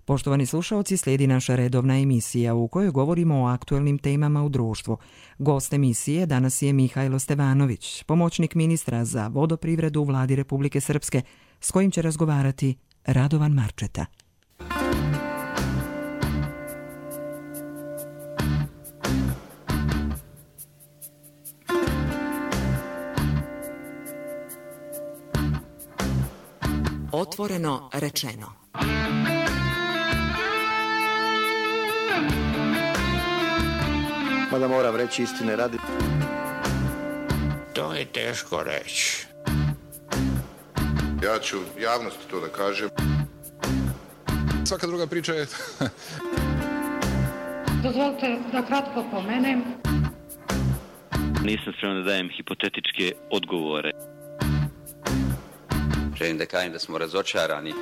Poštovani slušaoci, slijedi naša redovna emisija u kojoj govorimo o aktuelnim temama u društvu. Gost emisije danas je Mihajlo Stevanović, pomoćnik ministra za vodoprivredu u Vladi Republike Srpske, s kojim će razgovarati Radovan Marčeta. Otvoreno rečeno. Mada moram reći istine radi. To je teško reći. Ja ću javnosti to da kažem. Svaka druga priča je... Dozvolite da kratko pomenem. Nisam spreman da dajem hipotetičke odgovore. Želim da kažem da smo razočarani.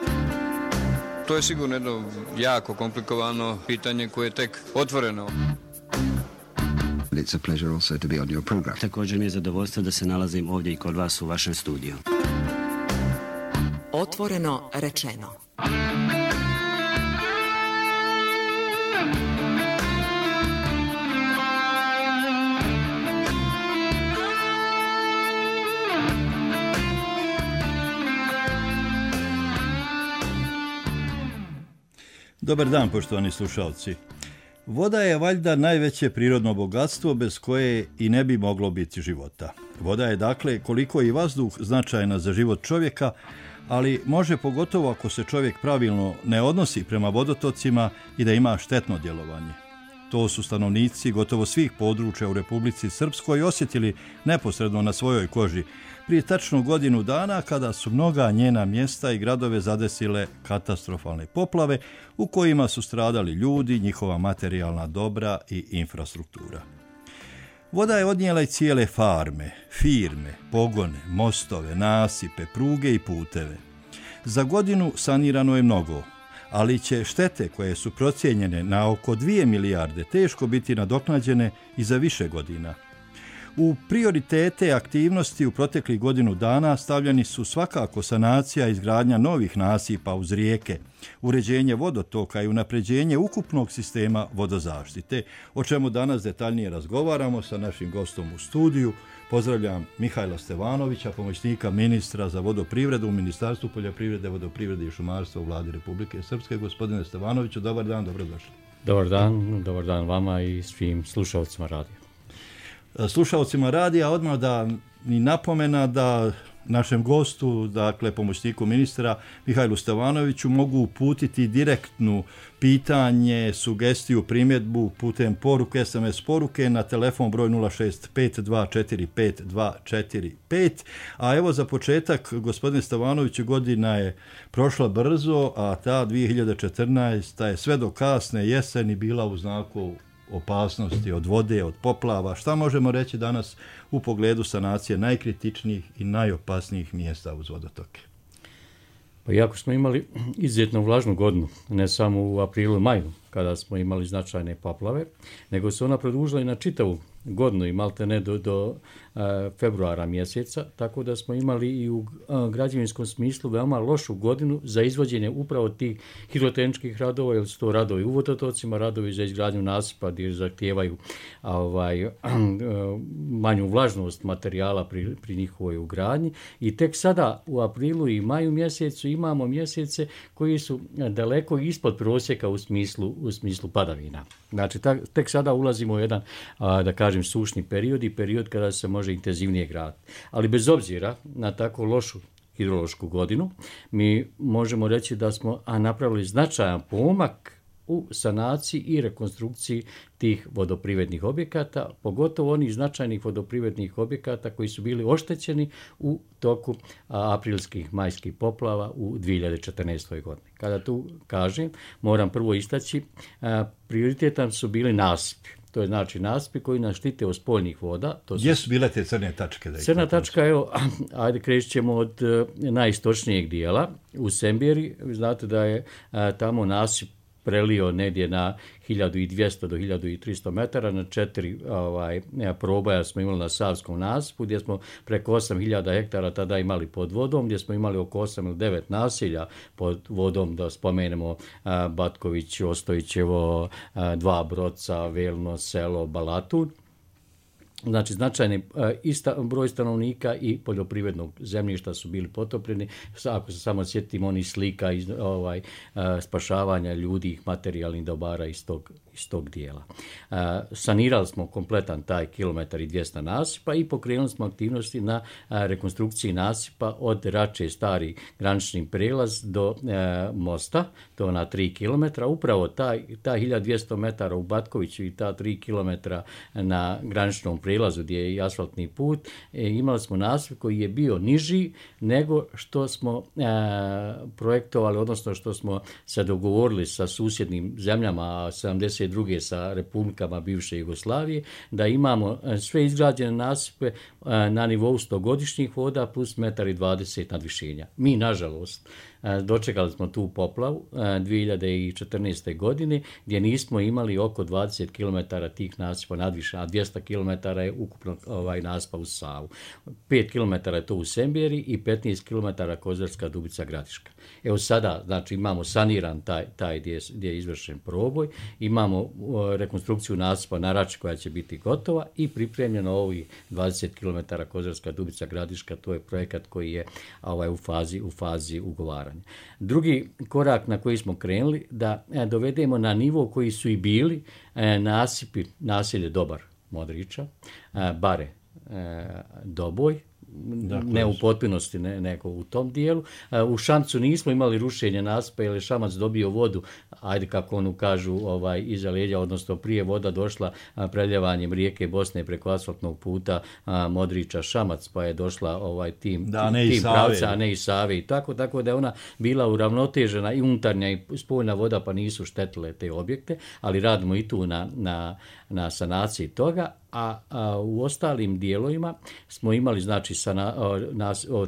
To je sigurno jedno jako komplikovano pitanje koje je tek otvoreno. It's a pleasure also to be on your program. Također mi je zadovoljstvo da se nalazim ovdje i kod vas u vašem studiju. Otvoreno rečeno. Dobar dan, poštovani slušalci. Voda je valjda najveće prirodno bogatstvo bez koje i ne bi moglo biti života. Voda je dakle, koliko i vazduh, značajna za život čovjeka, ali može pogotovo ako se čovjek pravilno ne odnosi prema vodotocima i da ima štetno djelovanje. To su stanovnici gotovo svih područja u Republici Srpskoj osjetili neposredno na svojoj koži prije tačno godinu dana kada su mnoga njena mjesta i gradove zadesile katastrofalne poplave u kojima su stradali ljudi, njihova materijalna dobra i infrastruktura. Voda je odnijela i cijele farme, firme, pogone, mostove, nasipe, pruge i puteve. Za godinu sanirano je mnogo, ali će štete koje su procijenjene na oko 2 milijarde teško biti nadoknađene i za više godina. U prioritete aktivnosti u proteklih godinu dana stavljeni su svakako sanacija i izgradnja novih nasipa uz rijeke, uređenje vodotoka i unapređenje ukupnog sistema vodozaštite, o čemu danas detaljnije razgovaramo sa našim gostom u studiju. Pozdravljam Mihajla Stevanovića, pomoćnika ministra za vodoprivredu u Ministarstvu poljoprivrede, vodoprivrede i šumarstva u Vladi Republike Srpske. Gospodine Stevanoviću, dobar dan, dobrodošli. Dobar dan vama i svim slušalcima radija. Slušalcima radija odmah da mi napomena da našem gostu, dakle pomoćniku ministra Mihajlu Stevanoviću, mogu uputiti direktnu pitanje, sugestiju, primjedbu putem poruke, SMS poruke na telefon broj 065245245. A evo za početak, gospodine Stevanoviću, godina je prošla brzo, a ta 2014. je sve do kasne jeseni bila u znaku opasnosti od vode, od poplava. Šta možemo reći danas u pogledu sanacije najkritičnijih i najopasnijih mjesta uz vodotoke? Pa iako smo imali izuzetno vlažnu godinu, ne samo u aprilu i maju, kada smo imali značajne poplave, nego se ona produžila i na čitavu godinu i malte ne do februara mjeseca, tako da smo imali i u građevinskom smislu veoma lošu godinu za izvođenje upravo tih hidrotehničkih radova, jer su to radovi u vodotocima, radovi za izgradnju nasipa gdje zahtijevaju manju vlažnost materijala pri njihovoj ugradnji. I tek sada u aprilu i maju mjesecu imamo mjesece koji su daleko ispod prosjeka u smislu padavina. Znači, tek sada ulazimo u jedan, da kažem, sušni period i period kada se može intenzivnije graditi. Ali bez obzira na tako lošu hidrološku godinu, mi možemo reći da smo napravili značajan pomak u sanaciji i rekonstrukciji tih vodoprivrednih objekata, pogotovo onih značajnih vodoprivrednih objekata koji su bili oštećeni u toku aprilskih, majskih poplava u 2014. godini. Kada tu kažem, moram prvo istaći, prioritetan su bili nasipi. To je znači nasipi koji nas štite od spoljnih voda. Gdje su bile te crne tačke? Crna tačka, evo, ajde krećemo ćemo od najistočnijeg dijela u Sembjeri. Znate da je tamo nasip prelio negdje na 1200 do 1300 metara, na 4 proboja smo imali na Savskom nasipu, gdje smo preko 8000 hektara tada imali pod vodom, gdje smo imali oko 8 ili 9 naselja pod vodom, da spomenemo Batković, Ostojićevo, Dva Broca, Velno, Selo, Balatun. Znači, značajni broj stanovnika i poljoprivrednog zemljišta su bili potopljeni. Ako se samo sjetimo onih slika spašavanja ljudi, materijalnih dobara iz tog dijela. Sanirali smo kompletan taj kilometar i 200 nasipa i pokrenuli smo aktivnosti na rekonstrukciji nasipa od Rače stari granični prelaz do mosta, to na 3 km. Upravo ta 1200 metara u Batkoviću i ta 3 km na graničnom prelazu gdje je i asfaltni put, imali smo nasip koji je bio niži nego što smo projektovali, odnosno što smo se dogovorili sa susjednim zemljama, 72. sa republikama bivše Jugoslavije, da imamo sve izgrađene nasipe na nivou 100-godišnjih voda plus 1,20 m nadvišenja. Mi, nažalost, dočekali smo tu poplavu 2014. godine gdje nismo imali oko 20 km tih nasipa nadvišenja, a 200 km je ukupno nasipa u Savu. 5 km je to u Semberi i 15 km Kozarska Dubica Gradiška. Evo sada, znači, imamo saniran taj gdje je izvršen proboj, imamo rekonstrukciju nasipa na Rači koja će biti gotova i pripremljeno ovih 20 km Kozarska Dubica Gradiška, to je projekat koji je u fazi ugovaranja. Drugi korak na koji smo krenuli, da dovedemo na nivo koji su i bili nasipi, naselje Dobar Modriča, Bare Doboj, ne u potpunosti, nego u tom dijelu. U Šamcu nismo imali rušenje nasipa jer je Šamac dobio vodu, ajde kako onu kažu, iza leđa, odnosno prije voda došla preljevanjem rijeke Bosne preko asfaltnog puta Modriča Šamac, pa je došla tim pravca, a ne i Save i tako da je ona bila uravnotežena i unutarnja i spoljna voda, pa nisu štetile te objekte, ali radimo i tu na sanaciji toga. A u ostalim dijelovima smo imali, znači,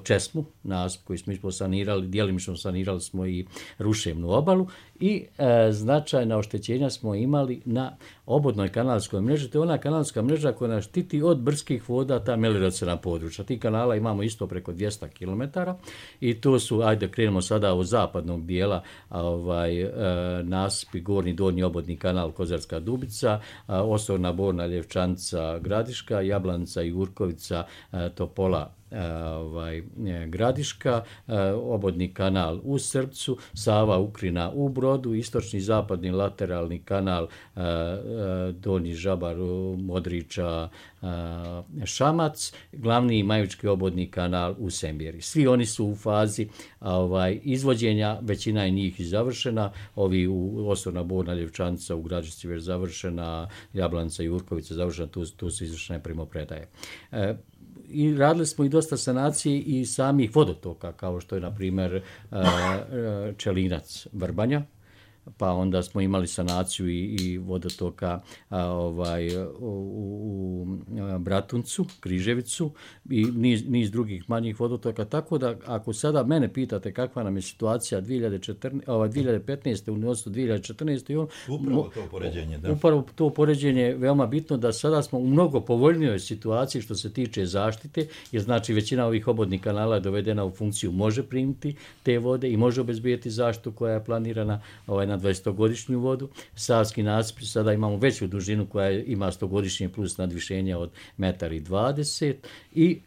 Česmu, nasip koji smo sanirali, djelimično sanirali smo i Ruševnu obalu i značajna oštećenja smo imali na obodnoj kanalskoj mreži. To je ona kanalska mreža koja nas štiti od brdskih voda, ta melioraciona područja. Ti kanala imamo isto preko 200 km i to su, ajde krenemo sada od zapadnog dijela, nasipi, gornji, donji obodni kanal Kozarska Dubica, Osorna, Borna, Ljevčanca, Gradiška, Jablanca, Jurkovica, Topola, Gradiška, obodni kanal u Srpcu, Sava, Ukrina u Brodu, istočni zapadni lateralni kanal Donji Žabar, Modriča, Šamac, glavni Majučki obodni kanal u Semberi. Svi oni su u fazi izvođenja, većina je njih i završena, ovi u Osorna, Borna, Ljevčanca u Gradišci već završena, Jablanca i Jurkovica završena, tu su izvršene primopredaje. I radili smo i dosta sanacije i samih vodotoka, kao što je, na primjer, Čelinac Vrbanja, pa onda smo imali sanaciju i vodotoka u Bratuncu, Križevicu i niz drugih manjih vodotoka, tako da ako sada mene pitate kakva nam je situacija 2015. odnosno 2014. Upravo to poređenje, da. Upravo to poređenje je veoma bitno, da sada smo u mnogo povoljnijoj situaciji što se tiče zaštite, jer znači većina ovih obodnih kanala je dovedena u funkciju, može primiti te vode i može obezbijeti zaštitu koja je planirana na 20-godišnju vodu. Savski nasip, sada imamo veću dužinu koja ima 100-godišnje plus nadvišenje od 1,20 m i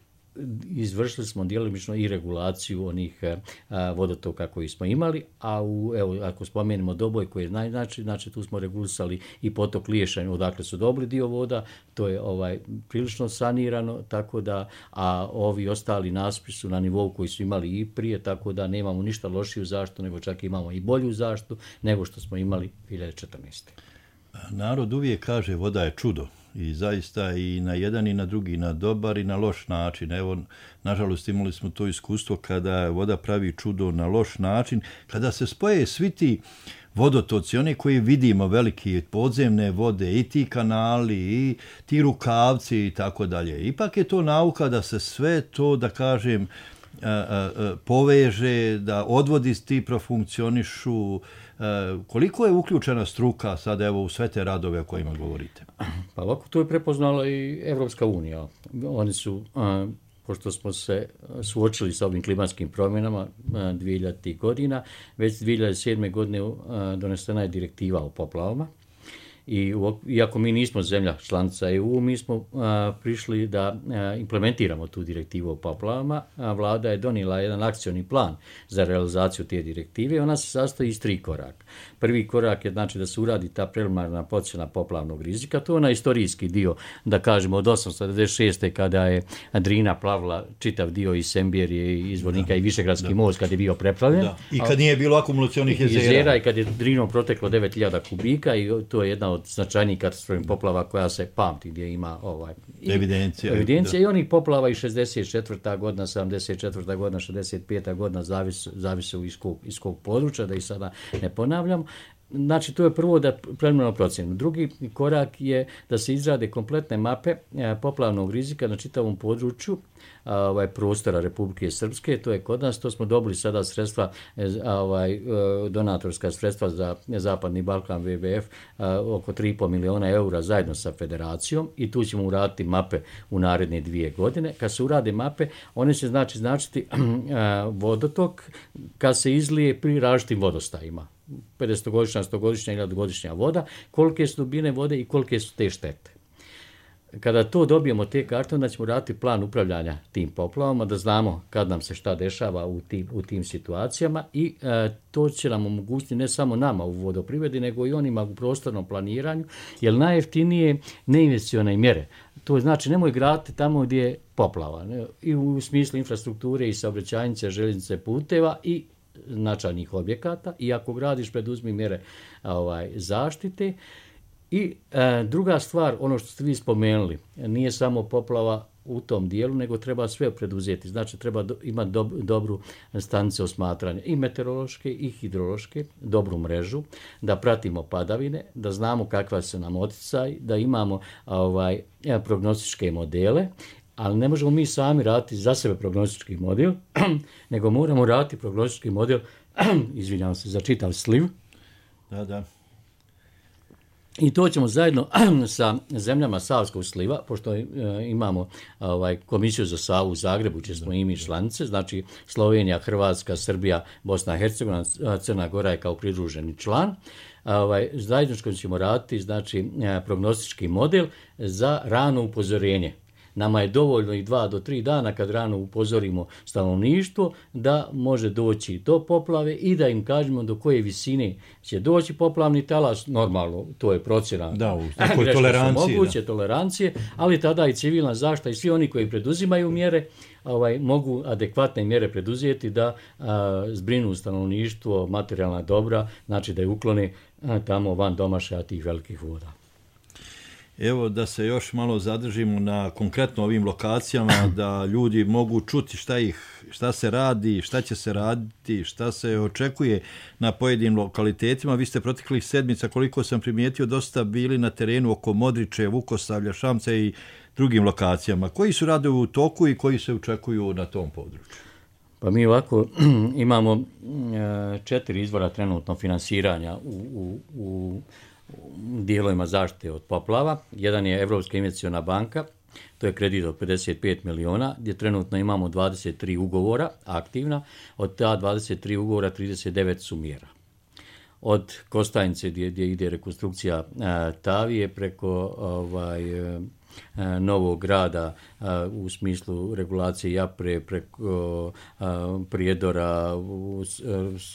izvršili smo djelomično i regulaciju onih vodotoka koji smo imali, a ako spomenemo Doboj koji je najznačajniji, znači tu smo regulisali i potok Liješanj odakle su dobili dio voda, to je prilično sanirano, tako da, a ovi ostali nasipi su na nivou koji su imali i prije, tako da nemamo ništa lošiju zaštitu, nego čak imamo i bolju zaštitu nego što smo imali 2014. Narod uvijek kaže voda je čudo. I zaista i na jedan i na drugi, na dobar i na loš način. Evo, nažalost, imali smo to iskustvo kada voda pravi čudo na loš način, kada se spoje svi ti vodotoci, one koji vidimo, veliki podzemne vode, i ti kanali, i ti rukavci i tako dalje. Ipak je to nauka da se sve to, da kažem, poveže, da odvodi ti profunkcionišu. Koliko je uključena struka sad evo u sve te radove o kojima govorite? Pa ovako, to je prepoznala i Evropska unija. Oni su, pošto smo se suočili sa ovim klimatskim promjenama 2000. godina, već 2007. godine donesena je direktiva o poplavama. I iako mi nismo zemlja članica EU, mi smo prišli da implementiramo tu direktivu o poplavama. Vlada je donijela jedan akcioni plan za realizaciju te direktive. Ona se sastoji iz 3 koraka. Prvi korak je znači da se uradi ta preliminarna procjena poplavnog rizika. To je onaj istorijski dio, da kažemo od 896. kada je Drina plavila čitav dio iz Semberije, izvornika i Višegradski most kad je bio preplavljen. I kad nije bilo akumulacionih jezera. I kad je Drinom proteklo 9000 kubika i to je jedna od značajnijih katastrofalnih poplava koja se pamti, gdje ima evidencija i onih poplava i 64. godina, 74. godina, 65. godina, zavise iz kog područja, da ih sada ne ponavljam. Znači, to je prvo da preliminarno procjenu. Drugi korak je da se izrade kompletne mape poplavnog rizika na čitavom području prostora Republike Srpske. To je kod nas, to smo dobili sada sredstva, donatorska sredstva za Zapadni Balkan WWF, oko 3,5 miliona eura zajedno sa federacijom i tu ćemo uraditi mape u naredne 2 godine. Kad se urade mape, one će značiti vodotok kad se izlije pri različitim vodostajima. 50-godišnja, 100-godišnja ili 1000-godišnja voda, kolike su dubine vode i kolike su te štete. Kada to dobijemo te karte, onda ćemo raditi plan upravljanja tim poplavama, da znamo kad nam se šta dešava u tim situacijama i to će nam omogućiti ne samo nama u vodoprivredi, nego i onima u prostornom planiranju, jer najjeftinije neinvesticione mjere. To znači nemoj graditi tamo gdje je poplava, ne? I u smislu infrastrukture i saobraćajnice, željeznice, puteva i značajnih objekata, i ako gradiš preduzmi mjere zaštite. I druga stvar, ono što ste vi spomenuli, nije samo poplava u tom dijelu, nego treba sve preduzeti. Znači, treba imati dobru stanicu osmatranja, i meteorološke i hidrološke, dobru mrežu, da pratimo padavine, da znamo kakva su nam oticaj, da imamo prognostičke modele, ali ne možemo mi sami raditi za sebe prognostički model, nego moramo raditi prognostički model, izvinjavam se, za čitav sliv. Da. I to ćemo zajedno sa zemljama Savskog sliva, pošto imamo komisiju za Savu u Zagrebu, gdje smo i mi članice, znači Slovenija, Hrvatska, Srbija, Bosna i Hercegovina, Crna Gora je kao pridruženi član. Zajedničko ćemo raditi, znači, prognostički model za rano upozorenje. Nama je dovoljno i 2 do 3 dana kad rano upozorimo stanovništvo da može doći do poplave i da im kažemo do koje visine će doći poplavni talas. Normalno, to je procjena. Da, u takoj toleranciji. Moguće tolerancije, ali tada i civilna zaštita i svi oni koji preduzimaju mjere mogu adekvatne mjere preduzeti da zbrinu stanovništvo, materijalna dobra, znači da je uklone tamo van domašaja tih velikih voda. Evo da se još malo zadržimo na konkretno ovim lokacijama, da ljudi mogu čuti šta se radi, šta će se raditi, šta se očekuje na pojedinim lokalitetima. Vi ste proteklih sedmica, koliko sam primijetio, dosta bili na terenu oko Modriče, Vukosavlja, Šamca i drugim lokacijama. Koji su radovi u toku i koji se očekuju na tom području? Pa mi ovako imamo 4 izvora trenutno finansiranja u dijelovima zaštite od poplava. Jedan je Evropska investiciona banka, to je kredit od 55 miliona, gdje trenutno imamo 23 ugovora aktivna, od ta 23 ugovora 39 su mjera. Od Kostajnice gdje ide rekonstrukcija Tavije preko Novog grada u smislu regulacije Japre, preko Prijedora,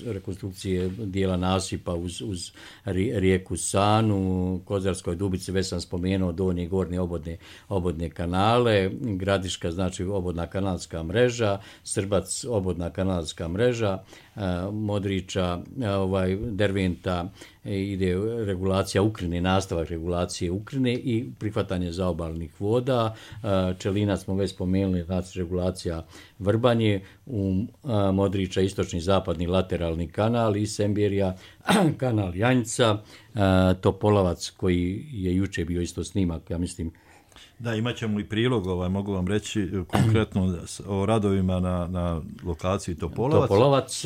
rekonstrukcije dijela nasipa uz rijeku Sanu, Kozarskoj Dubici, već sam spomenuo donje i gornje obodne kanale, Gradiška, znači obodna kanalska mreža, Srbac obodna kanalska mreža, Modriča, Derventa, ide regulacija Ukrine, nastavak regulacije Ukrine i prihvatanje zaobalnih voda. Čelina smo već spomenuli, znači regulacija Vrbanje, u Modriča istočni zapadni lateralni kanal i Semberija kanal Janjca, Topolovac koji je juče bio isto snimak, ja mislim Da, imat ćemo i prilog, mogu vam reći konkretno o radovima na lokaciji Topolovac. Topolovac,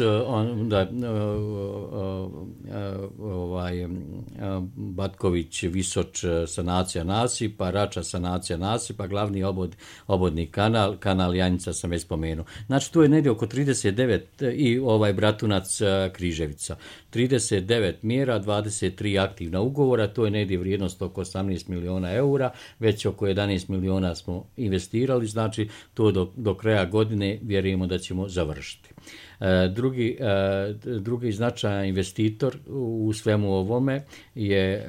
Batković, Visoč, sanacija nasipa, Rača, sanacija nasipa, glavni obodni kanal Janjica sam već spomenuo. Znači, tu je negdje oko 39 i Bratunac, Križevica. 39 mjera, 23 aktivna ugovora, to je negdje vrijednost oko 18 miliona eura, već oko 11 miliona smo investirali, znači to do kraja godine vjerujemo da ćemo završiti. Drugi značajan investitor u svemu ovome je,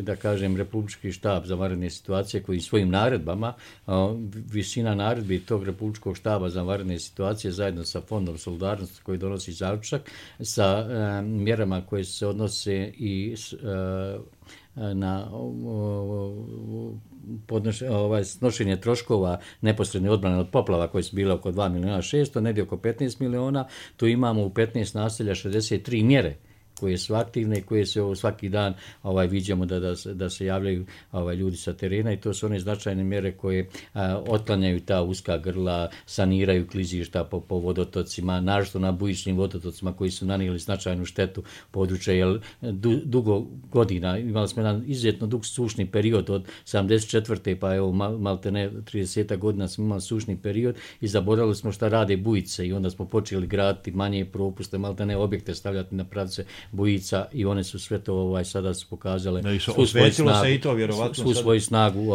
da kažem, Republički štab za vanredne situacije koji svojim naredbama, visina naredbi tog Republičkog štaba za vanredne situacije zajedno sa Fondom solidarnosti koji donosi zaključak sa mjerama koje se odnose i na snošenje troškova neposredne odbrane od poplava koje su bile oko 2 miliona 600, negdje oko 15 miliona. Tu imamo u 15 naselja 63 mjere koje su aktivne i koje se svaki dan viđamo da se javljaju ljudi sa terena, i to su one značajne mjere koje otklanjaju ta uska grla, saniraju klizišta po vodotocima, naročito na bujičnim vodotocima koji su nanijeli značajnu štetu područja, jer dugo godina imali smo jedan izuzetno dug sušni period od 74. pa evo maltene 30 godina smo imali sušni period i zaboravili smo šta rade bujice, i onda smo počeli graditi manje propuste, maltene objekte stavljati na pravce bujica, i one su sve to sada su pokazale svu svoju snagu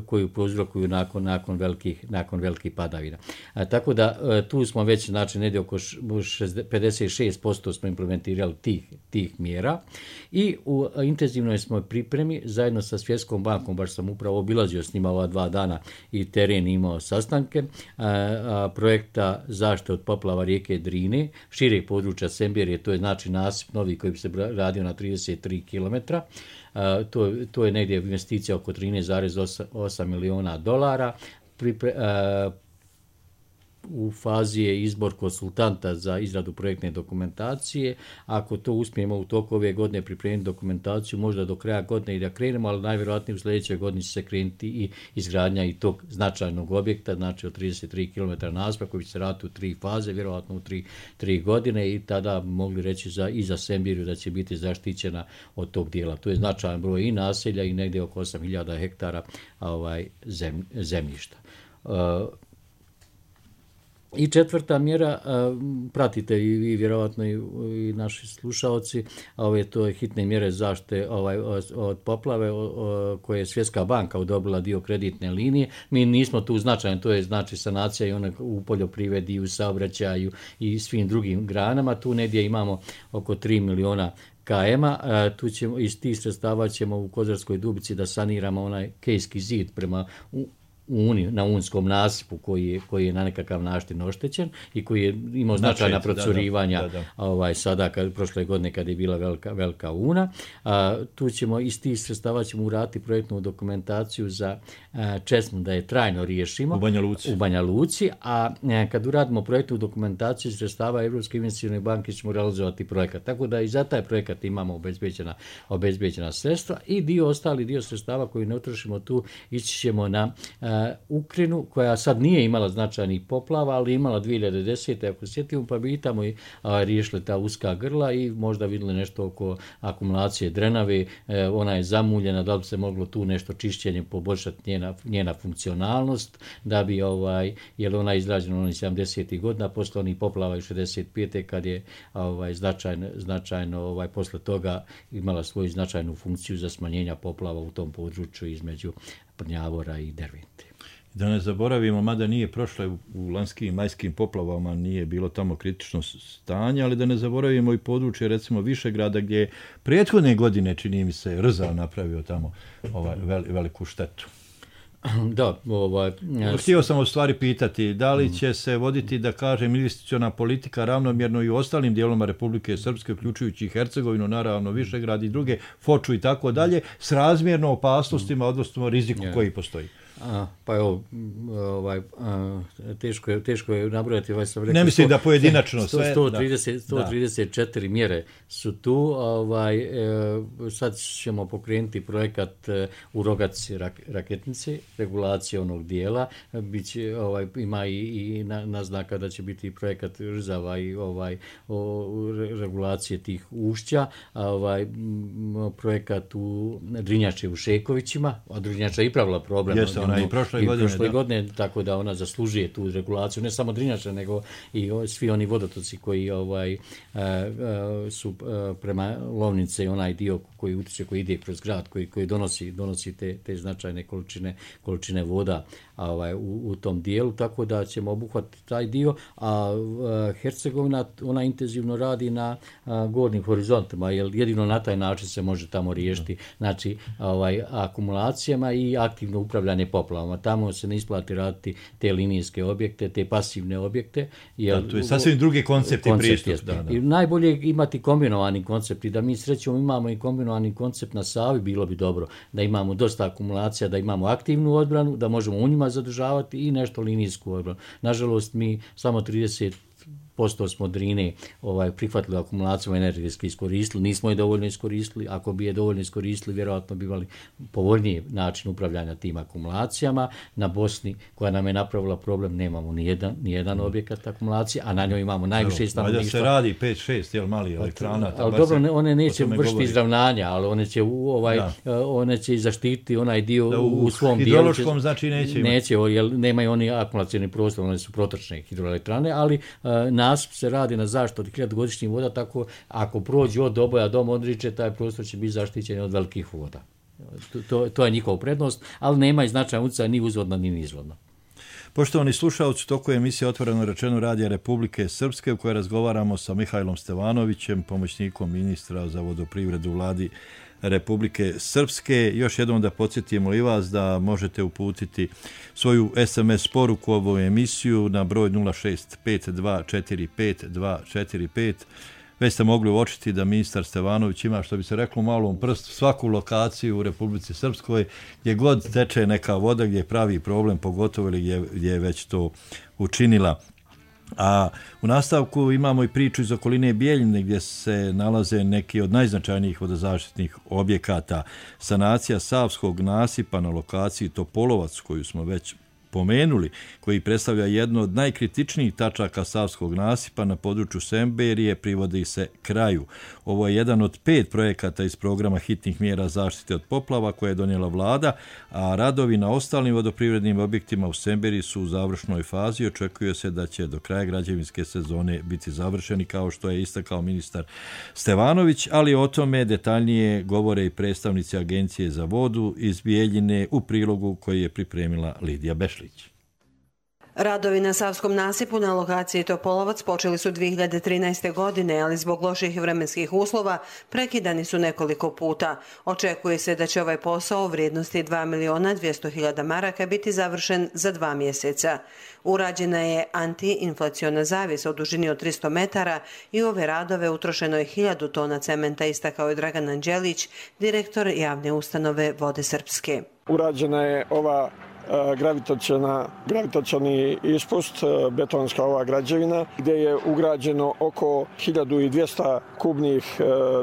koju prouzrokuju nakon velikih padavina. Tako da tu smo već, znači, negdje oko 56% smo implementirali tih mjera, i u intenzivnoj smo pripremi zajedno sa Svjetskom bankom, baš sam upravo obilazio s njima ova 2 dana i teren imao sastanke, projekta zaštite od poplava rijeke Drine, šireg područja Semberije, to je znači nasip novi koji bi se radio na 33 km. To je negdje investicija oko 13,8 miliona dolara. U fazi je izbor konsultanta za izradu projektne dokumentacije. Ako to uspijemo u toku ove godine pripremiti dokumentaciju, možda do kraja godine i da krenemo, ali najvjerojatnije u sljedećoj godini će se krenuti i izgradnja i tog značajnog objekta, znači od 33 km nasipa koji će se raditi u 3 faze, vjerojatno u 3 godine, i tada mogli reći i za Semberiju da će biti zaštićena od tog dijela. To je značajan broj i naselja i negdje oko 8.000 hektara zemljišta. I četvrta mjera, pratite i vi vjerojatno i naši slušalci, to je hitne mjere zaštite od poplave koje je Svjetska banka odobrila dio kreditne linije. Mi nismo tu značajni, to je znači sanacija i one u poljoprivredi i u saobraćaju i svim drugim granama. Tu negdje imamo oko 3 miliona km-a. Tu ćemo, iz tih sredstava ćemo u Kozarskoj Dubici da saniramo onaj kejski zid prema na unskom nasipu koji je na nekakav način oštećen i koji je imao značajna procurivanja sada prošle godine kad je bila velika una. Tu ćemo iz tih sredstava uraditi projektnu dokumentaciju za Česmu da je trajno riješimo u Banja Luci, a kad uradimo projektnu dokumentaciju sredstava Europske investicione banke ćemo realizovati projekat. Tako da i za taj projekat imamo obezbeđena sredstva, i ostali dio sredstava koji ne utrošimo tu ići ćemo na Ukrajinu, koja sad nije imala značajnih poplava, ali imala 2010. ako sjetimo, pa bi i tamo riješili ta uska grla i možda vidjeli nešto oko akumulacije drenave. Ona je zamuljena, da bi se moglo tu nešto čišćenje poboljšati njena funkcionalnost, da bi, jer ona je izrađena onih 70. godina, posle onih poplava i 65. kad je značajno posle toga imala svoju značajnu funkciju za smanjenja poplava u tom području između Prnjavora i Dervente. Da ne zaboravimo, mada nije prošla u lanskim i majskim poplavama, nije bilo tamo kritično stanje, ali da ne zaboravimo i područje, recimo Višegrada, gdje je prethodne godine, čini mi se, Rzal napravio tamo veliku štetu. Da, Htio sam u stvari pitati, da li će se voditi, da kažem, investiciona politika ravnomjerno i u ostalim dijelovima Republike Srpske, uključujući i Hercegovinu, naravno Višegrad i druge, Foču i tako dalje, s razmjerno opasnostima, odnosno riziku koji postoji? Pa evo, teško je nabrojati, sam rekao, ne mislim da pojedinačno sve. 134 mjere su tu, sad ćemo pokrenuti projekat u Rogaci Raketnici, regulacija onog dijela, ima i naznaka da će biti projekat Rzava i regulacije tih ušća, projekat u Drinjače u Šekovićima, a Drinjača je i pravila problem. Jeste, ona i prošle godine, tako da ona zaslužuje tu regulaciju, ne samo Drinjača, nego i svi oni vodotoci koji su prema Lovnice i onaj dio koji utiče, koji ide kroz grad, koji donosi te značajne količine voda u tom dijelu, tako da ćemo obuhvatiti taj dio, a Hercegovina, ona intenzivno radi na gornjim horizontima, jer jedino na taj način se može tamo riješiti, znači akumulacijama i aktivno upravljanje poplavama. Tamo se ne isplati raditi te linijske objekte, te pasivne objekte. Jer to je sasvim drugi koncept i pristup. I najbolje je imati kombinovani koncept i da mi srećom imamo i kombinovani koncept na Savi, bilo bi dobro da imamo dosta akumulacija, da imamo aktivnu odbranu, da možemo u njima zadržavati i nešto linijsku odbranu. Nažalost, mi samo 30% smo Drine prihvatili akumulaciju, energetski iskoristili, nismo je dovoljno iskoristili, ako bi je dovoljno iskoristili, vjerojatno bi imali povoljniji način upravljanja tim akumulacijama. Na Bosni, koja nam je napravila problem, nemamo ni jedan objekat akumulacije, a na njoj imamo najviše stanovništva. Valjda se radi 5-6 mali elektrana. Ali dobro, one neće vršiti izravnanja, ali one će zaštititi onaj dio u svom dijelu. U hidrološkom znači neće imati. Neće, jer nemaju oni akumulacijni prostor, one su protočne hidroelektrane, ali nasip se radi na zaštitu od 1000-godišnjih voda, tako ako prođe od Doboja do Modriče, taj prostor će biti zaštićen od velikih voda. To je njihova prednost, ali nema i značajan utjecaj ni uzvodno ni nizvodno. Poštovani slušalci, toko je emisija Otvoreno rečeno Radija Republike Srpske, u kojoj razgovaramo sa Mihajlom Stevanovićem, pomoćnikom ministra za vodoprivredu Vladi Republike Srpske. Još jednom da podsjetimo i vas da možete uputiti svoju SMS poruku ovu emisiju na broj 065245245. Već ste mogli uočiti da ministar Stevanović ima, što bi se reklo, u malom prstu svaku lokaciju u Republici Srpskoj, gdje god teče neka voda, gdje pravi problem, pogotovo ili gdje je već to učinila. A u nastavku imamo i priču iz okoline Bijeljine, gdje se nalaze neki od najznačajnijih vodozaštitnih objekata. Sanacija Savskog nasipa na lokaciji Topolovac, koju smo već pomenuli, koji predstavlja jedno od najkritičnijih tačaka Savskog nasipa na području Semberije, privodi se kraju. Ovo je jedan od 5 projekata iz programa hitnih mjera zaštite od poplava koje je donijela vlada, a radovi na ostalim vodoprivrednim objektima u Semberiji su u završnoj fazi. Očekuje se da će do kraja građevinske sezone biti završeni, kao što je istakao ministar Stevanović, ali o tome detaljnije govore i predstavnici Agencije za vodu iz Bijeljine u prilogu koji je pripremila Lidija Bešlić. Radovi na Savskom nasipu na lokaciji Topolovac počeli su 2013. godine, ali zbog loših vremenskih uslova prekidani su nekoliko puta. Očekuje se da će ovaj posao u vrijednosti 2.200.000 maraka biti završen za 2 mjeseca. Urađena je antiinflaciona zavjesa u dužini od 300 metara i u ove radove utrošeno je 1000 tona cementa, istakao je Dragan Anđelić, direktor javne ustanove Vode Srpske. Urađena je ova gravitacioni ispust, betonska ova građevina, gdje je ugrađeno oko 1200 kubnih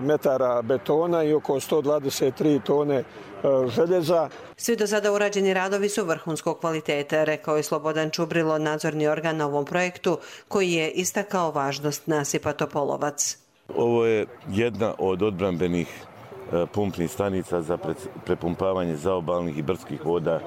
metara betona i oko 123 tone željeza. Svi do sada urađeni radovi su vrhunskog kvaliteta, rekao je Slobodan Čubrilo, nadzorni organ na ovom projektu, koji je istakao važnost nasipa Topolovac. Ovo je jedna od odbrambenih pumpnih stanica za prepumpavanje zaobalnih i brdskih voda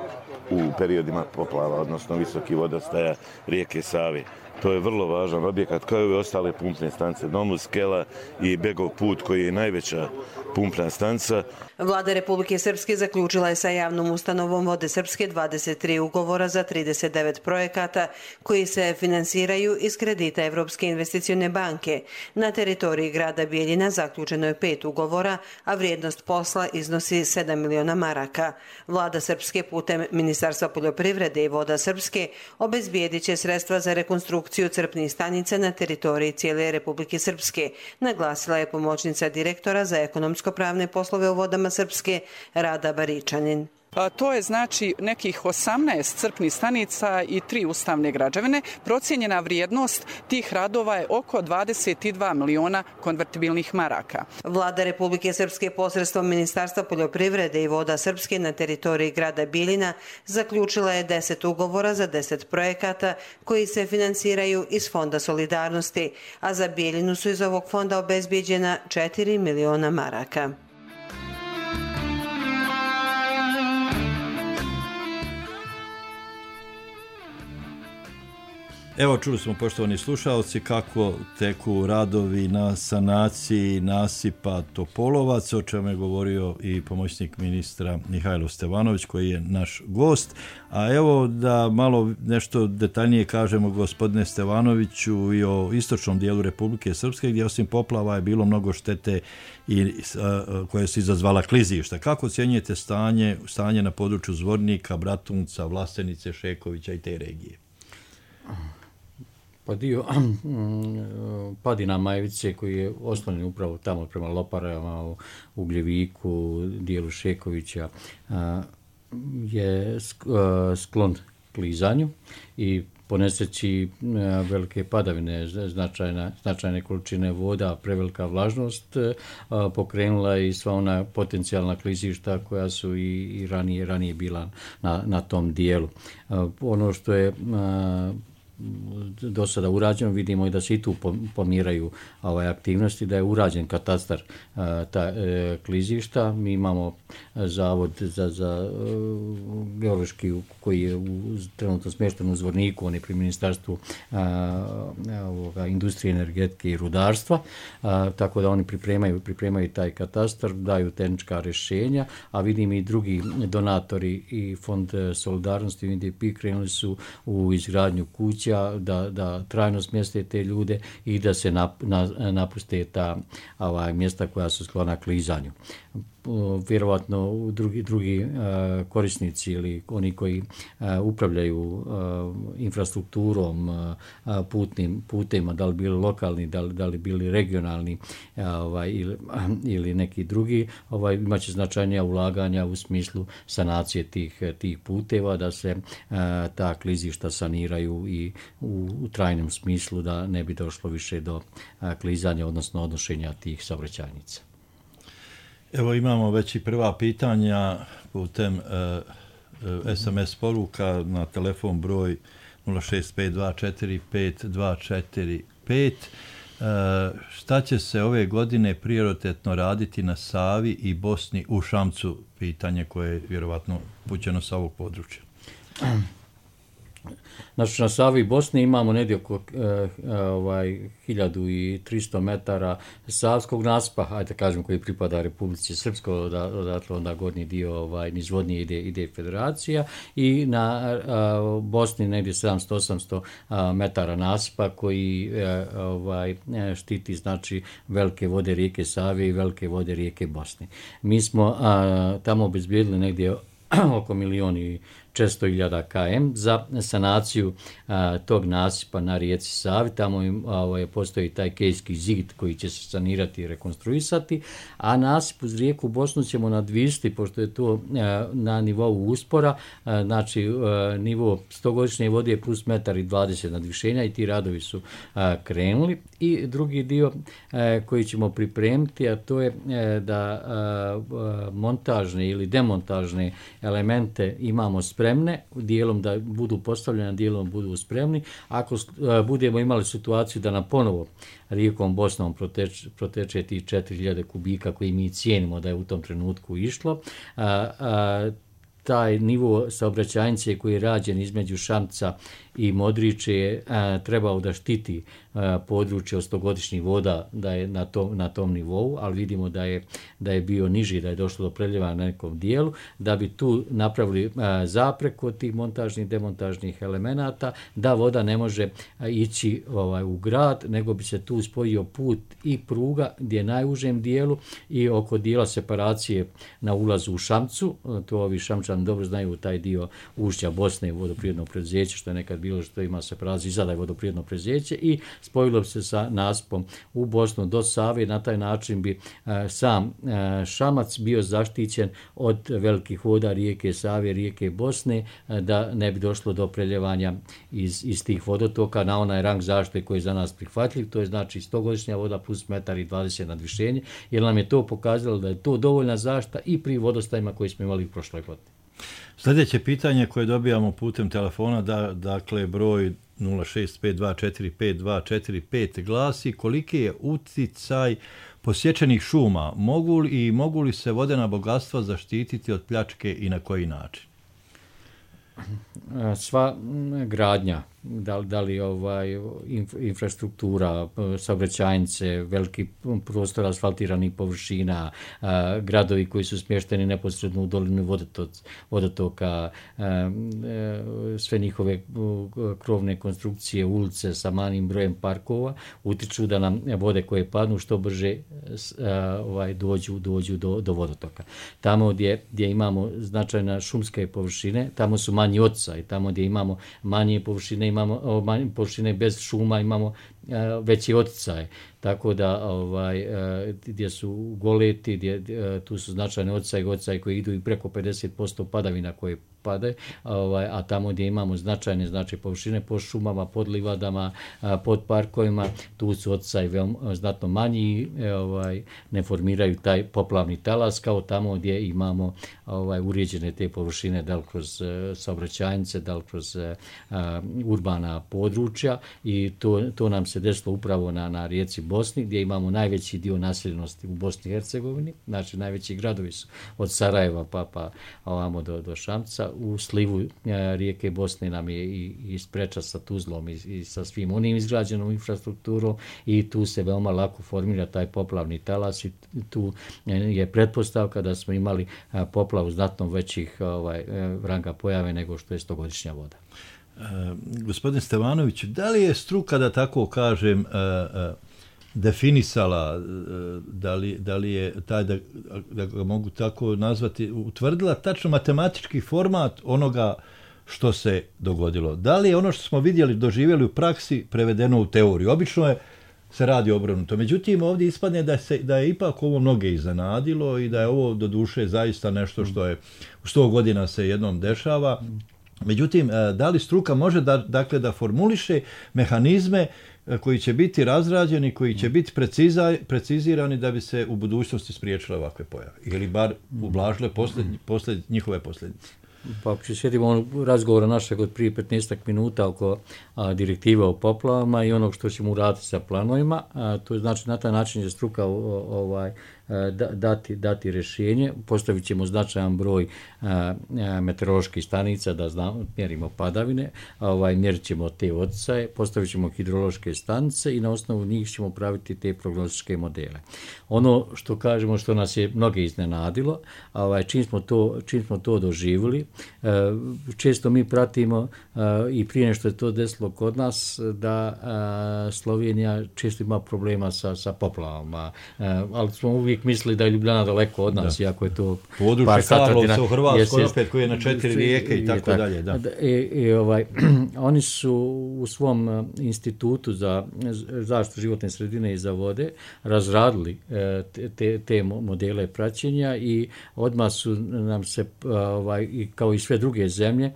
u periodima poplava, odnosno visokih vodostaja rijeke Save. To je vrlo važan objekat, kao i ove ostale pumpne stanice, Domus, Skela i Begov put, koji je najveća pumpna stanica. Vlada Republike Srpske zaključila je sa javnom ustanovom Vode Srpske 23 ugovora za 39 projekata koji se finansiraju iz kredita Evropske investicione banke. Na teritoriji grada Bijeljina zaključeno je 5 ugovora, a vrijednost posla iznosi 7 miliona maraka. Vlada Srpske putem Ministarstva poljoprivrede i Voda Srpske obezbijedit će sredstva za rekonstrukciju crpnih stanica na teritoriji cijele Republike Srpske, naglasila je pomoćnica direktora za ekonomsko-pravne poslove u Vodama Srpske, Rada Baričanin. To je znači nekih 18 crpnih stanica i 3 ustavne građevine. Procijenjena vrijednost tih radova je oko 22 miliona konvertibilnih maraka. Vlada Republike Srpske posredstvom Ministarstva poljoprivrede i voda Srpske na teritoriji grada Bijeljina zaključila je 10 ugovora za 10 projekata koji se finansiraju iz Fonda solidarnosti, a za Bijeljinu su iz ovog fonda obezbijeđena 4 miliona maraka. Evo, čuli smo, poštovani slušalci, kako teku radovi na sanaciji nasipa Topolovac, o čemu je govorio i pomoćnik ministra Mihajlo Stevanović, koji je naš gost. A evo da malo nešto detaljnije kažemo, gospodine Stevanoviću, i o istočnom dijelu Republike Srpske, gdje osim poplava je bilo mnogo štete koje su izazvala klizišta. Kako ocjenjujete stanje na području Zvornika, Bratunca, Vlastenice, Šekovića i te regije? Pa dio padina Majevice koji je oslonjen upravo tamo prema Loparama, u Ugljeviku, dijelu Šekovića, je sklon klizanju i po nesreći velike padavine, značajne količine voda, prevelika vlažnost pokrenula i sva ona potencijalna klizišta koja su i ranije bila na tom dijelu. Ono što je do sada urađeno, vidimo i da se i tu pomiraju aktivnosti, da je urađen katastar klizišta. Mi imamo zavod za geološki koji je trenutno smješten u Zvorniku, on je pri Ministarstvu industrije, energetike i rudarstva, tako da oni pripremaju taj katastar, daju tehnička rješenja, a vidim i drugi donatori i Fond solidarnosti UNDP krenuli su u izgradnju kuća da trajno smjeste te ljude i da se napuste ta mjesta koja su sklona klizanju. Vjerovatno drugi korisnici ili oni koji upravljaju infrastrukturom, putnim putema, da li bili lokalni, da li bili regionalni ili neki drugi, imat će značajnija ulaganja u smislu sanacije tih puteva, da se ta klizišta saniraju i u trajnom smislu, da ne bi došlo više do klizanja, odnosno odnošenja tih saobraćajnica. Evo, imamo već i prva pitanja putem SMS poruka na telefon broj 065245245. Šta će se ove godine prioritetno raditi na Savi i Bosni u Šamcu? Pitanje koje je vjerovatno upućeno sa ovog područja. Znači, na Savi i Bosni imamo negdje oko 1300 metara savskog nasipa, ajde kažem, koji pripada Republici Srpskoj, odatle onda gornji dio nizvodnije ide federacija, i na Bosni negdje 700-800 metara nasipa koji štiti, znači, velike vode rijeke Save i velike vode rijeke Bosne. Mi smo tamo obezbijedili negdje oko 1.400.000 km za sanaciju tog nasipa na rijeci Savi. Tamo postoji taj kejski zid koji će se sanirati i rekonstruisati, a nasip uz rijeku Bosnu ćemo nadvisiti, pošto je to na nivou uspora, znači nivo 100-godišnje vode je plus 1,20 m nadvišenja i ti radovi su krenuli. I drugi dio koji ćemo pripremiti, a to je da montažne ili demontažne elemente imamo spremne, dijelom da budu postavljene, dijelom budu spremni. Ako budemo imali situaciju da nam ponovo rijekom Bosnom proteče ti 4.000 kubika koji mi cijenimo da je u tom trenutku išlo, taj nivo saobraćajnice koji je rađen između Šamca i Modriče je trebao da štiti područje od 100-godišnjih voda, da je na tom nivou, ali vidimo da je bio niži, da je došlo do preljeva na nekom dijelu, da bi tu napravili zapreku od tih montažnih, demontažnih elemenata, da voda ne može ići u grad, nego bi se tu spojio put i pruga gdje je najužem dijelu i oko dijela separacije na ulazu u Šamcu, to ovi Šamčanski Balkan dobro znaju taj dio ušća Bosne, vodoprijedno preduzeće, što je nekad bilo, što ima se prelazi i sada je vodoprijedno preduzeće i spojilo se sa naspom u Bosnu do Save. Na taj način bi sam Šamac bio zaštićen od velikih voda rijeke Save, rijeke Bosne, da ne bi došlo do preljevanja iz tih vodotoka na onaj rang zaštite koji je za nas prihvatljiv, to je znači 100-godišnja voda plus 1,20 m nadvišenje, jer nam je to pokazalo da je to dovoljna zaštita i pri vodostajima koji smo imali u prošloj godini. Sljedeće pitanje koje dobijamo putem telefona, dakle broj 065245245 glasi: koliki je uticaj posječenih šuma? Mogu li se vodena bogatstva zaštititi od pljačke i na koji način? Sva gradnja, da li infrastruktura, saobraćajnice, veliki prostor asfaltiranih površina, gradovi koji su smješteni neposredno u dolinu vodotoka, sve njihove krovne konstrukcije, ulice sa malim brojem parkova utiču da nam vode koje padnu što brže dođu do vodotoka. Tamo gdje imamo značajne šumske površine, tamo su manji oticaj, tamo gdje imamo manje površine, imamo površine bez šuma, imamo veći oticaj. Tako da gdje su goleti, tu su značajne oticaji koji idu i preko 50% padavina koje pade, a tamo gdje imamo značajne površine pod šumama, pod livadama, pod parkovima, tu su oticaji znatno manji i ne formiraju taj poplavni talas kao tamo gdje imamo uređene te površine, da li kroz saobraćajnice, da li kroz urbana područja, i to nam se desilo upravo na rijeci Bosni, gdje imamo najveći dio naseljenosti u Bosni i Hercegovini, znači najveći gradovi su od Sarajeva pa ovamo do Šamca. U slivu rijeke Bosne nam je i spreča sa Tuzlom i sa svim onim izgrađenom infrastrukturom, i tu se veoma lako formira taj poplavni talas, i tu je pretpostavka da smo imali poplavu znatno većih ranga pojave nego što je 100-godišnja voda. Gospodin Stevanović, da li je struka, da tako kažem, definisala, da li je taj, da ga mogu tako nazvati, utvrdila tačno matematički format onoga što se dogodilo? Da li je ono što smo vidjeli, doživjeli u praksi prevedeno u teoriju? Obično se radi obrnuto. Međutim, ovdje ispadne da je ipak ovo mnoge iznenadilo i da je ovo doduše zaista nešto što je u 100 godina se jednom dešava. Međutim, da li struka može da formuliše mehanizme koji će biti razrađeni, koji će biti precizirani da bi se u budućnosti spriječile ovakve pojave ili bar ublažile njihove posljedice? Pa ako se sjetimo razgovora našeg od prije 15 minuta oko direktive o poplavama i onog što ćemo uraditi sa planovima, to je znači na taj način je struka dati rješenje. Postavit ćemo značajan broj meteoroloških stanica da mjerimo padavine, mjerit ćemo te oticaje, postavit ćemo hidrološke stanice i na osnovu njih ćemo praviti te prognostičke modele. Ono što kažemo, što nas je mnoge iznenadilo, čim smo to doživjeli, često mi pratimo i prije što je to desilo kod nas, da Slovenija često ima problema sa poplavama, ali smo uvijek mislili da je Ljubljana daleko od nas, iako je to područje Karlovca u Hrvatskoj, opet koji je na 4 rijeke i tako dalje. Oni su u svom institutu za zaštitu životne sredine i za vode razradili te modele praćenja i odmah su nam se, kao i sve druge zemlje,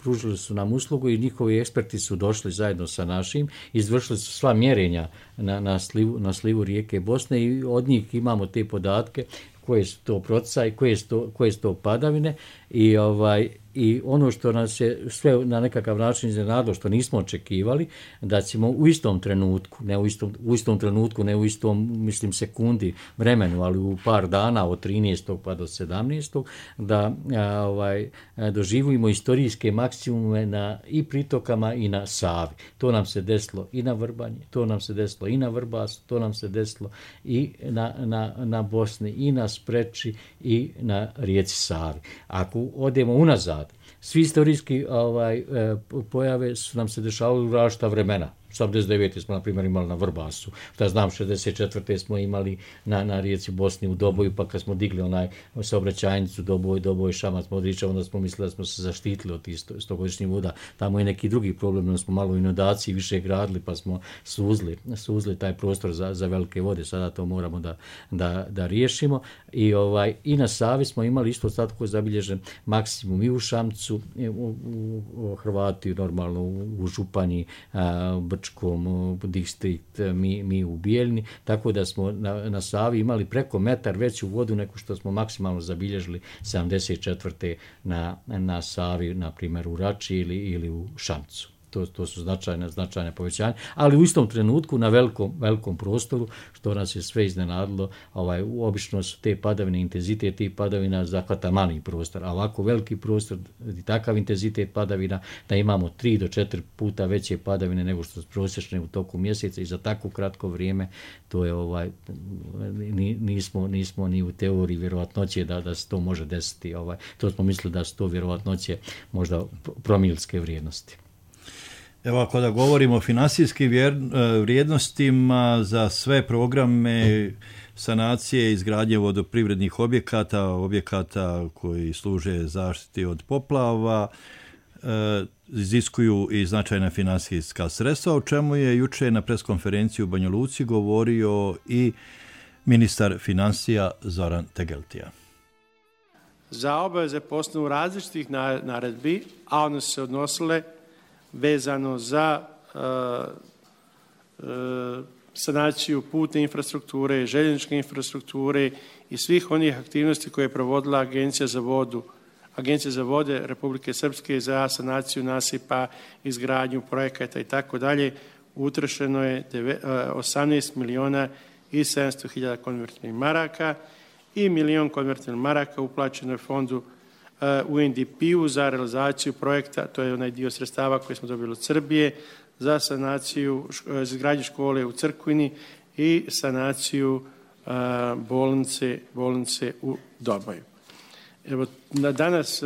pružili su nam uslugu i njihovi eksperti su došli zajedno sa našim, izvršili su sva mjerenja na slivu rijeke Bosne i od njih imamo te podatke koje su to proticaji, koje su to padavine i ono što nas je sve na nekakav način iznenadilo, što nismo očekivali, da ćemo u istom trenutku, ne u istom, mislim, sekundi vremenu, ali u par dana od 13. pa do 17. da doživimo istorijske maksimume na i pritokama i na Savi. To nam se desilo i na Vrbanji, to nam se desilo i na Vrbasu, to nam se desilo i na Bosni, i na Spreči, i na rijeci Savi. Ako odemo unazad, svi istorijski pojave su nam se dešavali u različita vremena. 79. smo, na primjer, imali na Vrbasu. Šta znam, 64. smo imali na rijeci Bosni u Doboju, pa kad smo digli onaj saobraćajnicu Doboj, Šamac, Modriča, onda smo mislili da smo se zaštitili od tih 100-godišnjih voda. Tamo je neki drugi problem, onda smo malo u inundaciji više gradili, pa smo suzli taj prostor za velike vode. Sada to moramo da riješimo. I na Savi smo imali isto tako zabilježen maksimum i u Šamcu, u Hrvati, normalno u Županji, Brčkom, distrikt, mi u Bijeljni, tako da smo na Savi imali preko metar veću vodu nego što smo maksimalno zabilježili 74. na Savi, na primjer u Rači ili u Šamcu. To su značajne povećanja, ali u istom trenutku na velikom prostoru, što nas je sve iznenadilo, obično su te padavine, intenzitet tih padavina zahvata mali prostor, a ovako veliki prostor i takav intenzitet padavina da imamo 3 do 4 puta veće padavine nego što su prosječne u toku mjeseca i za tako kratko vrijeme, to je nismo ni u teoriji vjerovatnoće da se to može desiti. To smo mislili da su to vjerovatnoće možda promilske vrijednosti. Evo, ako da govorimo o finansijskim vrijednostima za sve programe sanacije i izgradnje vodoprivrednih objekata koji služe zaštiti od poplava, iziskuju i značajna finansijska sredstva, o čemu je juče na preskonferenciji u Banja Luci govorio i ministar financija Zoran Tegeltija. Za obaveze po osnovu različitih naredbi, a one se odnosile vezano za sanaciju putne infrastrukture, željezničke infrastrukture i svih onih aktivnosti koje je provodila Agencija za vode Republike Srpske za sanaciju nasipa, izgradnju projekata i tako dalje, utrošeno je 18 miliona i 700 hiljada konvertibilnih maraka i milion konvertibilnih maraka uplaćeno je fondu UNDP-u za realizaciju projekta, to je onaj dio sredstava koje smo dobili od Srbije, za sanaciju, za izgradnju škole u Crkvini i sanaciju bolnice u Doboju. Evo, danas,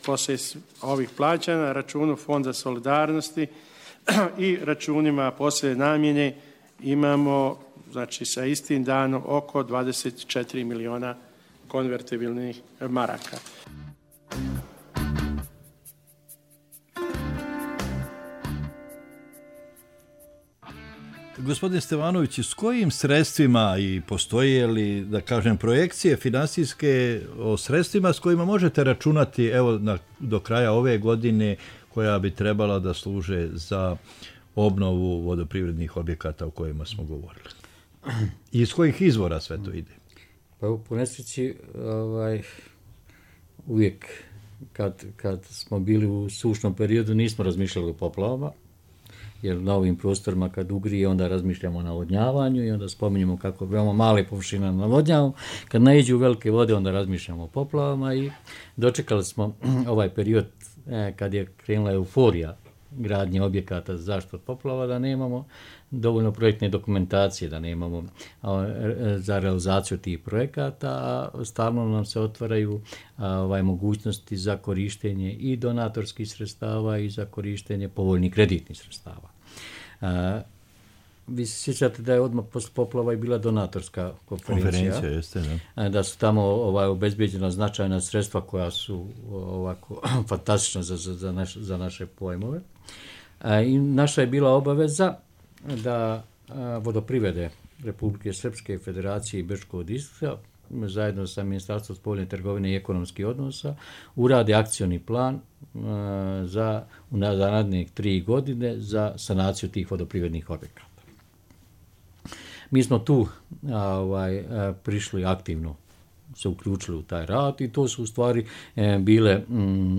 poslije ovih plaćanja, na računu Fonda solidarnosti i računima poslije namjene imamo, znači sa istim danom, oko 24 miliona konvertibilnih maraka. Gospodine Stevanović, s kojim sredstvima i postoje li, da kažem, projekcije finansijske o sredstvima s kojima možete računati do kraja ove godine koja bi trebala da služe za obnovu vodoprivrednih objekata o kojima smo govorili? I iz kojih izvora sve to ide? Pa po nesreći uvijek kad smo bili u sušnom periodu nismo razmišljali o poplavama, jer na ovim prostorima kad ugrije onda razmišljamo o navodnjavanju i onda spominjemo kako veoma male površine navodnjavamo. Kad naiđu velike vode onda razmišljamo o poplavama i dočekali smo ovaj period kad je krenula euforija gradnje objekata za zaštitu od poplava, da nemamo dovoljno projektne dokumentacije, da nemamo za realizaciju tih projekata, a stalno nam se otvaraju mogućnosti za korištenje i donatorskih sredstava i za korištenje povoljnih kreditnih sredstava. Vi se sjećate da je odmah posle poplava i bila donatorska konferencija. Jeste, da. Da su tamo obezbeđena značajna sredstva koja su ovako fantastična za naše pojmove. I naša je bila obaveza da vodoprivrede Republike Srpske, Federacije i Brčkog distrikta zajedno sa Ministarstvom spoljne trgovine i ekonomskih odnosa urade akcioni plan za naredne 3 godine za sanaciju tih vodoprivrednih objekata. Mi smo tu prišli aktivno, se uključili u taj rad i to su u stvari bile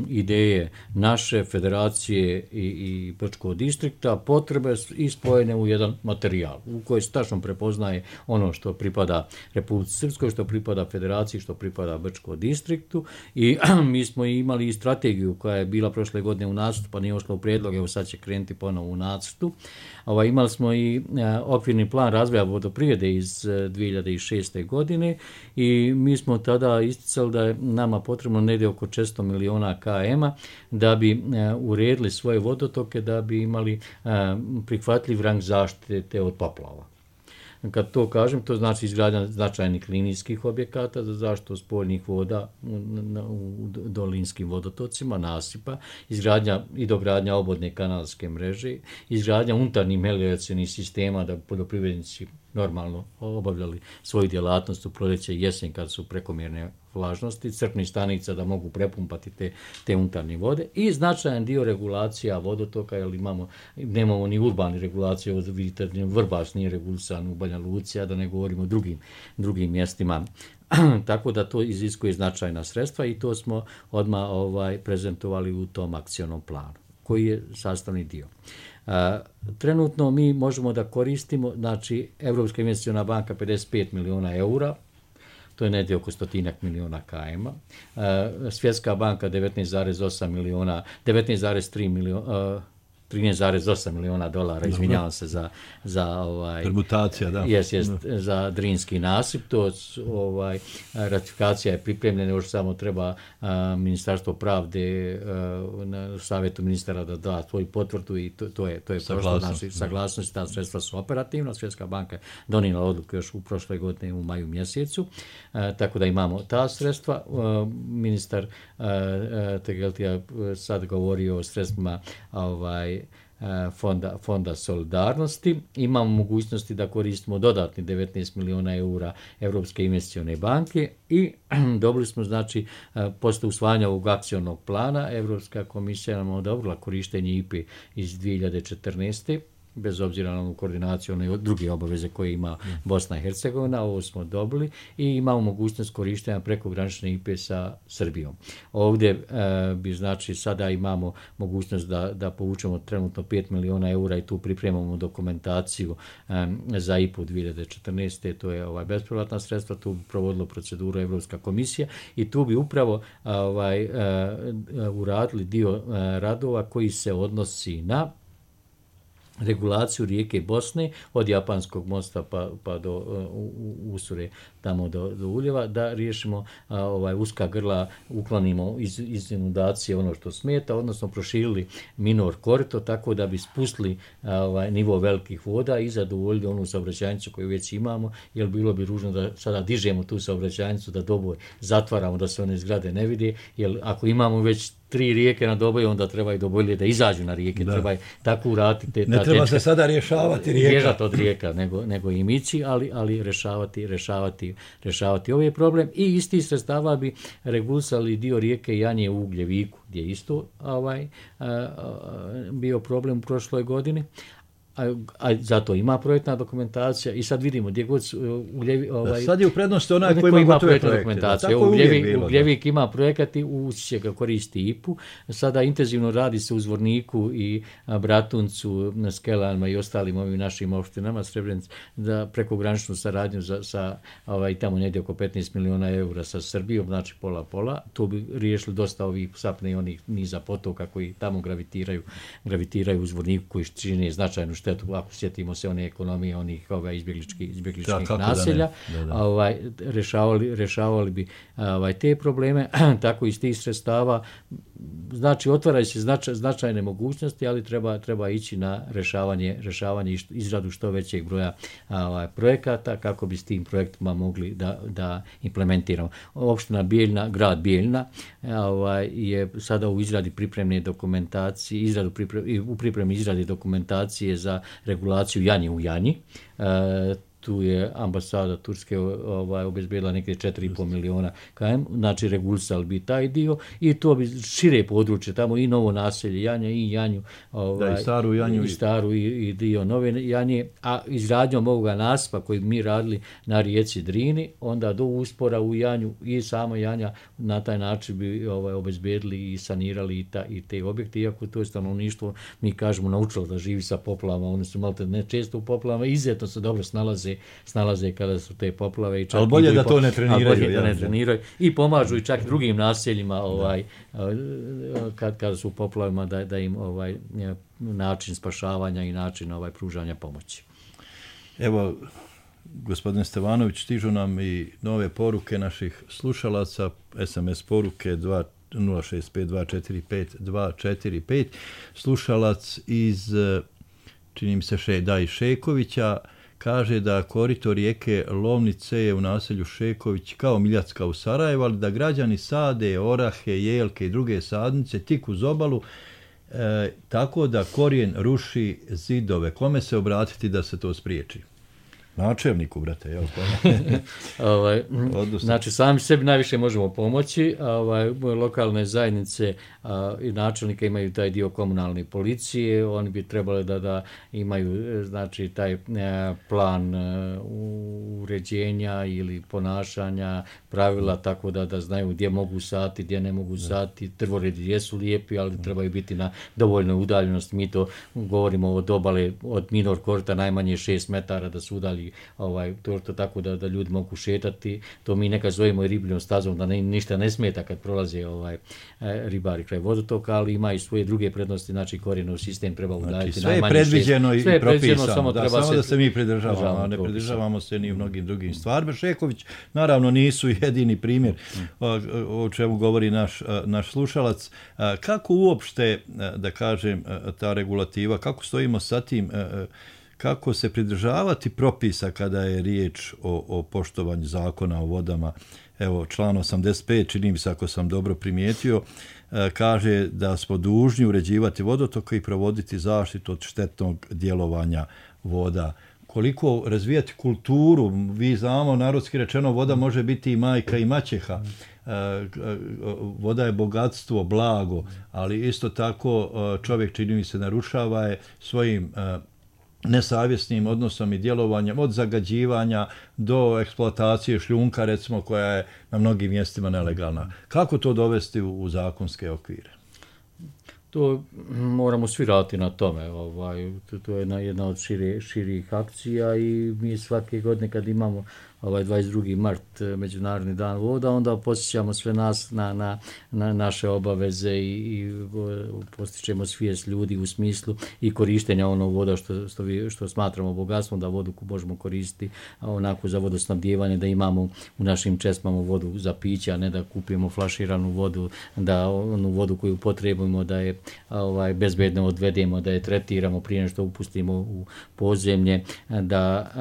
ideje naše federacije i Brčkog distrikta, potrebe i spojene u jedan materijal u kojoj se tačno prepoznaje ono što pripada Republici Srpskoj, što pripada federaciji, što pripada Brčkom distriktu i mi smo imali i strategiju koja je bila prošle godine u nacrtu, pa nije ušla u prijedlog, evo sad će krenuti ponovo u nacrtu. Imali smo i okvirni plan razvoja vodoprivrede iz 2006. godine i mi smo tada isticali da je nama potrebno negdje oko 400 miliona km da bi uredili svoje vodotoke, da bi imali prihvatljiv rang zaštite od poplava. Kad to kažem, to znači izgradnja značajnih linijskih objekata za zaštitu spoljnih voda u dolinskim vodotocima, nasipa, izgradnja i dogradnja obodne kanalske mreže, izgradnja unutarnjih melioracionih sistema da poljoprivrednici normalno obavljali svoju djelatnost u proljeće i jesen kad su prekomjerne vlažnosti, crpnih stanica da mogu prepumpati te unutarnje vode i značajan dio regulacija vodotoka, jer nemamo ni urbani regulacije, vidite, Vrbas nije regulisan u Banja Luci, a da ne govorimo o drugim mjestima. Tako da to iziskuje značajna sredstva i to smo odmah prezentovali u tom akcionom planu, koji je sastavni dio. Trenutno mi možemo da koristimo, znači Europska investiciona banka 55 miliona eura, to je negdje oko 100 miliona km. Svjetska banka 19,8 miliona, 13,8 miliona dolara, izvinjavam se za permutacija, da. Za Drinski nasip. To ratifikacija je pripremljena, još samo treba Ministarstvo pravde na savjetu ministara da da svoju potvrdu i to je prošlo, znači saglasnost, ta sredstva su operativna. Svjetska banka je donijela odluku još u prošle godine u maju mjesecu, tako da imamo ta sredstva. Ministar Tegeltija sad govori o sredstvima Fonda solidarnosti. Imamo mogućnosti da koristimo dodatni 19 miliona eura Europske investicione banke i dobili smo, znači, posle usvajanja ovog akcionog plana, Europska komisija nam odobrila korištenje IPA iz 2014. bez obzira na koordinaciju, one druge obaveze koje ima Bosna i Hercegovina, ovo smo dobili i imamo mogućnost korištenja prekogranične IPA sa Srbijom. Ovdje bi, znači, sada imamo mogućnost da povučemo trenutno 5 miliona eura i tu pripremamo dokumentaciju za IPA 2014. To je bespovratna sredstva, tu bi provodilo proceduru Evropska komisija i tu bi upravo uradili dio radova koji se odnosi na regulaciju rijeke Bosne od Japanskog mosta pa do Usure, tamo do Uljeva, da riješimo uska grla, uklonimo iz inundacije ono što smeta, odnosno proširili minor korito tako da bi spustili nivo velikih voda i zadovoljili onu saobraćajnicu koju već imamo, jer bilo bi ružno da sada dižemo tu saobraćajnicu, da doboj zatvaramo, da se one zgrade ne vide, jer ako imamo već 3 rijeke na Doboju, onda treba i Dobojlje da izađu na rijeke, treba tako uraditi. Ne treba se sada rješavati rijeka. Bježati od rijeka, nego im ići, ali rješavati ovaj problem. I isti sredstava bi regulisali dio rijeke Janje u Ugljeviku, gdje je isto bio problem u prošloj godini. A zato ima projektna dokumentacija i sad vidimo gdje god sad je u prednosti onaj koji ima projektna dokumentacija. Ugljevik ima projekat i Usiće ga koristi IPU. Sada intenzivno radi se u Zvorniku i Bratuncu, Skelanima i ostalim ovim našim opštinama Srebrenic za prekograničnu saradnju sa tamo negdje oko 15 miliona eura sa Srbijom, znači pola. To bi riješili dosta ovih sapne i onih niza potoka koji tamo gravitiraju u Zvorniku, koji čine značajnu štetu. Ako sjetimo se one ekonomije, onih izbjegličkih naselja, rješavali bi te probleme, tako iz tih sredstava. Znači, otvaraju se značajne mogućnosti, ali treba ići na rješavanje izradu što većeg broja projekata kako bi s tim projektima mogli da implementiramo. Opština Bijeljina, grad Bijeljina je sada u izradi pripremne dokumentacije, u pripremi izradi dokumentacije za regulaciju Janje u Janji. Tu je ambasada Turske obezbedila nekde 4,5 miliona km, znači regulisali bi taj dio i to bi šire područje, tamo i novo naselje Janja i Janju, i staru Janju, i staru i dio nove Janje, a izgradnjom ovoga nasipa koji mi radili na rijeci Drini, onda do uspora u Janju i samo Janja, na taj način bi obezbedili i sanirali i te objekte, iako to je stanovništvo, mi kažemo, naučilo da živi sa poplavama, oni su malo ne često u poplavama, izuzetno se dobro snalaze kada su te poplave. Ali bolje da to ne treniraju. I pomažu i čak drugim naseljima kada su u poplavima da im način spašavanja i način pružanja pomoći. Evo, gospodine Stevanović, stižu nam i nove poruke naših slušalaca, SMS poruke 065245245. Slušalac iz, čini mi se, Šekovića, kaže da korito rijeke Lovnice je u naselju Šeković kao Miljacka u Sarajevu, ali da građani sade orahe, jelke i druge sadnice tik uz obalu, tako da korijen ruši zidove. Kome se obratiti da se to spriječi? Načelniku, brate, jel? Znači, sami sebi najviše možemo pomoći. Lokalne zajednice i načelnika imaju taj dio komunalne policije. Oni bi trebali da imaju, znači, taj plan uređenja ili ponašanja, pravila, tako da znaju gdje mogu sati, gdje ne mogu sati. Drvoredi jesu lijepi, ali trebaju biti na dovoljnoj udaljenosti. Mi to govorimo od obale, od minor korita najmanje 6 metara da su udalji to tako da ljudi mogu šetati. To mi nekad zovemo i ribljom stazom, da ništa ne smeta kad prolaze ribari kraj vodotoka, ali ima i svoje druge prednosti, znači korijenov sistem treba udaljiti. Sve je predviđeno i propisano, samo da se mi pridržavamo, a ne pridržavamo se ni u mnogim drugim stvarima. Šeković, naravno, nisu jedini primjer o čemu govori naš slušalac. Kako uopšte, da kažem, ta regulativa, kako stojimo sa tim, kako se pridržavati propisa kada je riječ o poštovanju zakona o vodama? Evo, član 85, čini mi se, ako sam dobro primijetio, kaže da smo dužni uređivati vodotoke i provoditi zaštitu od štetnog djelovanja voda. Koliko razvijati kulturu, vi znamo, narodski rečeno, voda može biti i majka i maćeha. Voda je bogatstvo, blago, ali isto tako čovjek, čini mi se, narušava je svojim nesavjesnim odnosom i djelovanjem, od zagađivanja do eksploatacije šljunka, recimo, koja je na mnogim mjestima nelegalna. Kako to dovesti u zakonske okvire? To moramo svi raditi na tome. To je jedna od širih akcija i mi svake godine kad imamo 22. mart, Međunarodni dan voda, onda posjećamo sve nas na naše obaveze i postičemo svijest ljudi u smislu i korištenja onog voda što smatramo bogatstvom, da vodu možemo koristiti onako za vodosnabdijevanje, da imamo u našim česmama vodu za piće, a ne da kupimo flaširanu vodu, da onu vodu koju potrebujemo da je bezbedno odvedemo, da je tretiramo prije nego što upustimo u podzemlje, da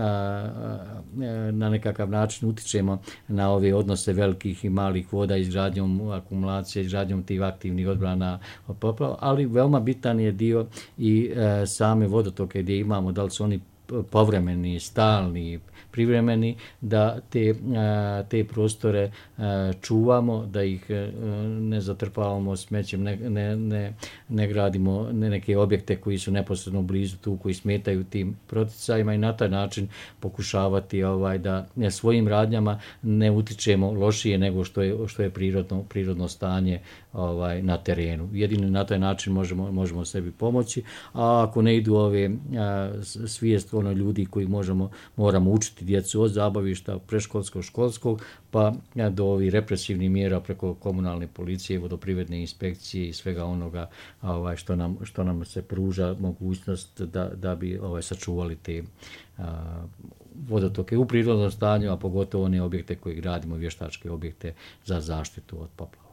na nekakav način utičemo na ove odnose velikih i malih voda izgradnjom akumulacije, izgradnjom tih aktivnih odbrana od poplava, ali veoma bitan je dio i same vodotoke gdje imamo, da li su oni povremeni, stalni, privremeni, da te prostore čuvamo, da ih ne zatrpavamo smećem, ne gradimo neke objekte koji su neposredno blizu tu, koji smetaju tim proticajima i na taj način pokušavati da svojim radnjama ne utičemo lošije nego što je prirodno stanje na terenu. Jedino na taj način možemo sebi pomoći, a ako ne idu ove svijest ljudi koji moramo učiti djecu od zabavišta, preškolskog, školskog, pa do ovih represivnih mjera preko komunalne policije, vodoprivredne inspekcije i svega onoga što nam se pruža mogućnost da bi sačuvali te vodotoke u prirodnom stanju, a pogotovo one objekte koje gradimo, vještačke objekte za zaštitu od poplava.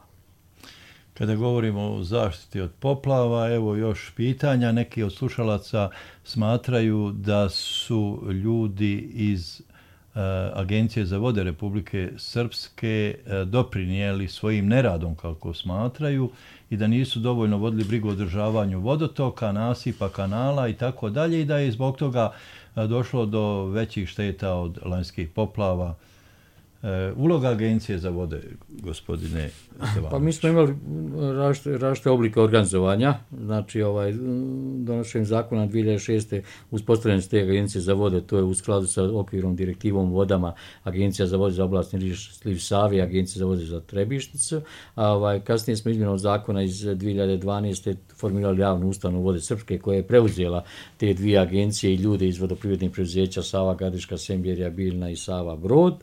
Kada govorimo o zaštiti od poplava, evo još pitanja. Neki od slušalaca smatraju da su ljudi iz Agencije za vode Republike Srpske doprinijeli svojim neradom, kako smatraju, i da nisu dovoljno vodili brigu o održavanju vodotoka, nasipa, kanala i tako dalje, i da je zbog toga došlo do većih šteta od lanjskih poplava. Uloga Agencije za vode, gospodine Stevanović? Pa mi smo imali različite oblike organizovanja. Znači, donošenjem zakona 2006. uspostavljanje te Agencije za vode, to je u skladu sa okvirom direktivom vodama, Agencija za vode za oblastni sliv Save, Agencija za vode za Trebišnicu. Kasnije smo izmjenom zakona iz 2012. formirali javnu ustanovu Vode Srpske, koja je preuzela te dvije agencije i ljude iz vodoprivrednih preduzeća Sava Gradiška, Semberija, Biljna i Sava Brod.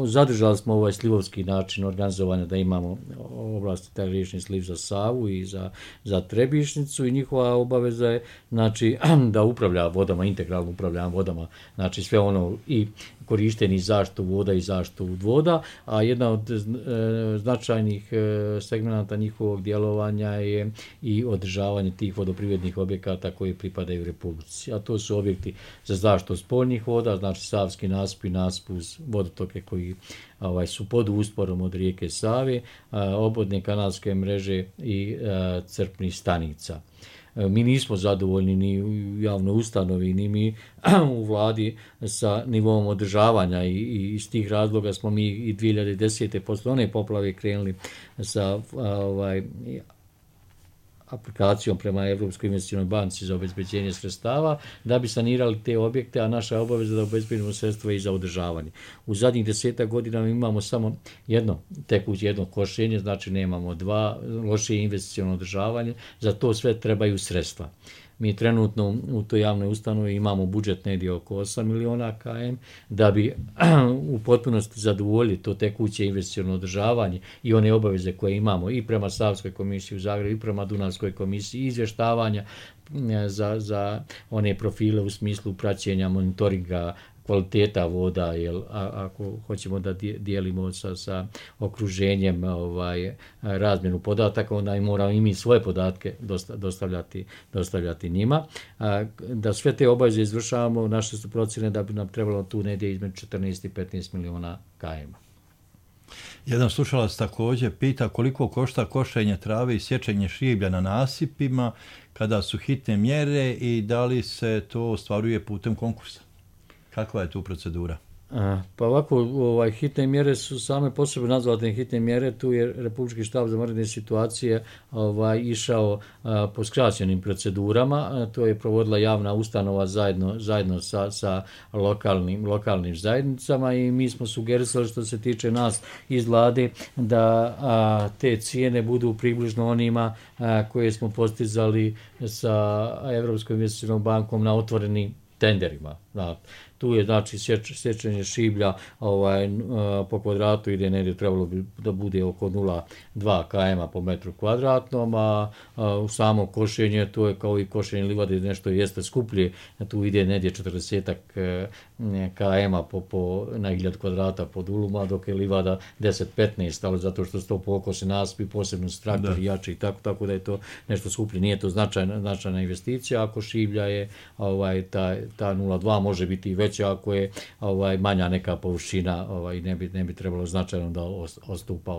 zadržali smo ovaj slivovski način organizovanja, da imamo oblasti taj riječni sliv za Savu i za Trebišnicu, i njihova obaveza je, znači, da upravlja vodama, integralno upravlja vodama, znači sve ono i korištenje zaštitu voda i zaštitu voda, a jedna od značajnih segmenata njihovog djelovanja je i održavanje tih vodoprivrednih objekata koji pripadaju Republici. A to su objekti za zaštitu spoljnih voda, znači savski nasip i nasip uz vodotoke koji su pod usporom od rijeke Save, obodne kanalske mreže i crpnih stanica. Mi nismo zadovoljni ni u javnoj ustanovi, ni mi u vladi sa nivom održavanja, i iz tih razloga smo mi i 2010. posle one poplave krenuli sa aplikacijom prema Evropskoj investicionoj banci za obezbeđenje sredstava da bi sanirali te objekte, a naša obaveza da obezbedimo sredstva i za održavanje. U zadnjih 10 godina imamo samo jedno košenje, znači nemamo dva, lošije investiciono održavanje, za to sve trebaju sredstva. Mi trenutno u toj javnoj ustanovi imamo budžet negdje oko 8 miliona km, da bi u potpunosti zadovoljili to tekuće investiciono održavanje i one obaveze koje imamo i prema Savskoj komisiji u Zagrebu i prema Dunavskoj komisiji, izvještavanja za one profile u smislu praćenja, monitoringa kvaliteta voda, jer ako hoćemo da dijelimo sa okruženjem razmjenu podataka, onda i moramo i mi svoje podatke dostavljati njima. Da sve te obaveze izvršavamo, naše su procjene da bi nam trebalo tu negdje između 14 i 15 miliona km. Jedan slušalac također pita koliko košta košenje trave i sječenje šiblja na nasipima kada su hitne mjere i da li se to ostvaruje putem konkursa. Kakva je tu procedura? Pa ovako, hitne mjere su same po sebi nazvane hitne mjere. Tu je Republički štab za vanredne situacije išao po skraćenim procedurama. To je provodila javna ustanova zajedno sa lokalnim zajednicama, i mi smo sugerisali, što se tiče nas iz vlade, da te cijene budu približno onima koje smo postizali sa Evropskom investicionom bankom na otvorenim tenderima. Tu je, znači, sječenje šiblja po kvadratu ide negdje, trebalo bi da bude oko 0,2 km po metru kvadratnom, a u samo košenje, to je kao i košenje livade, nešto jeste skuplje, tu ide negdje 40 km na 1000 kvadrata pod uluma, dok je livada 10-15, ali zato što se to pokose nasipi, posebno s traktori jači i tako da je to nešto skuplje. Nije to značajna investicija. Ako šiblja je ta 0,2 može biti i veća ako je manja neka površina, i ne bi trebalo značajno da odstupa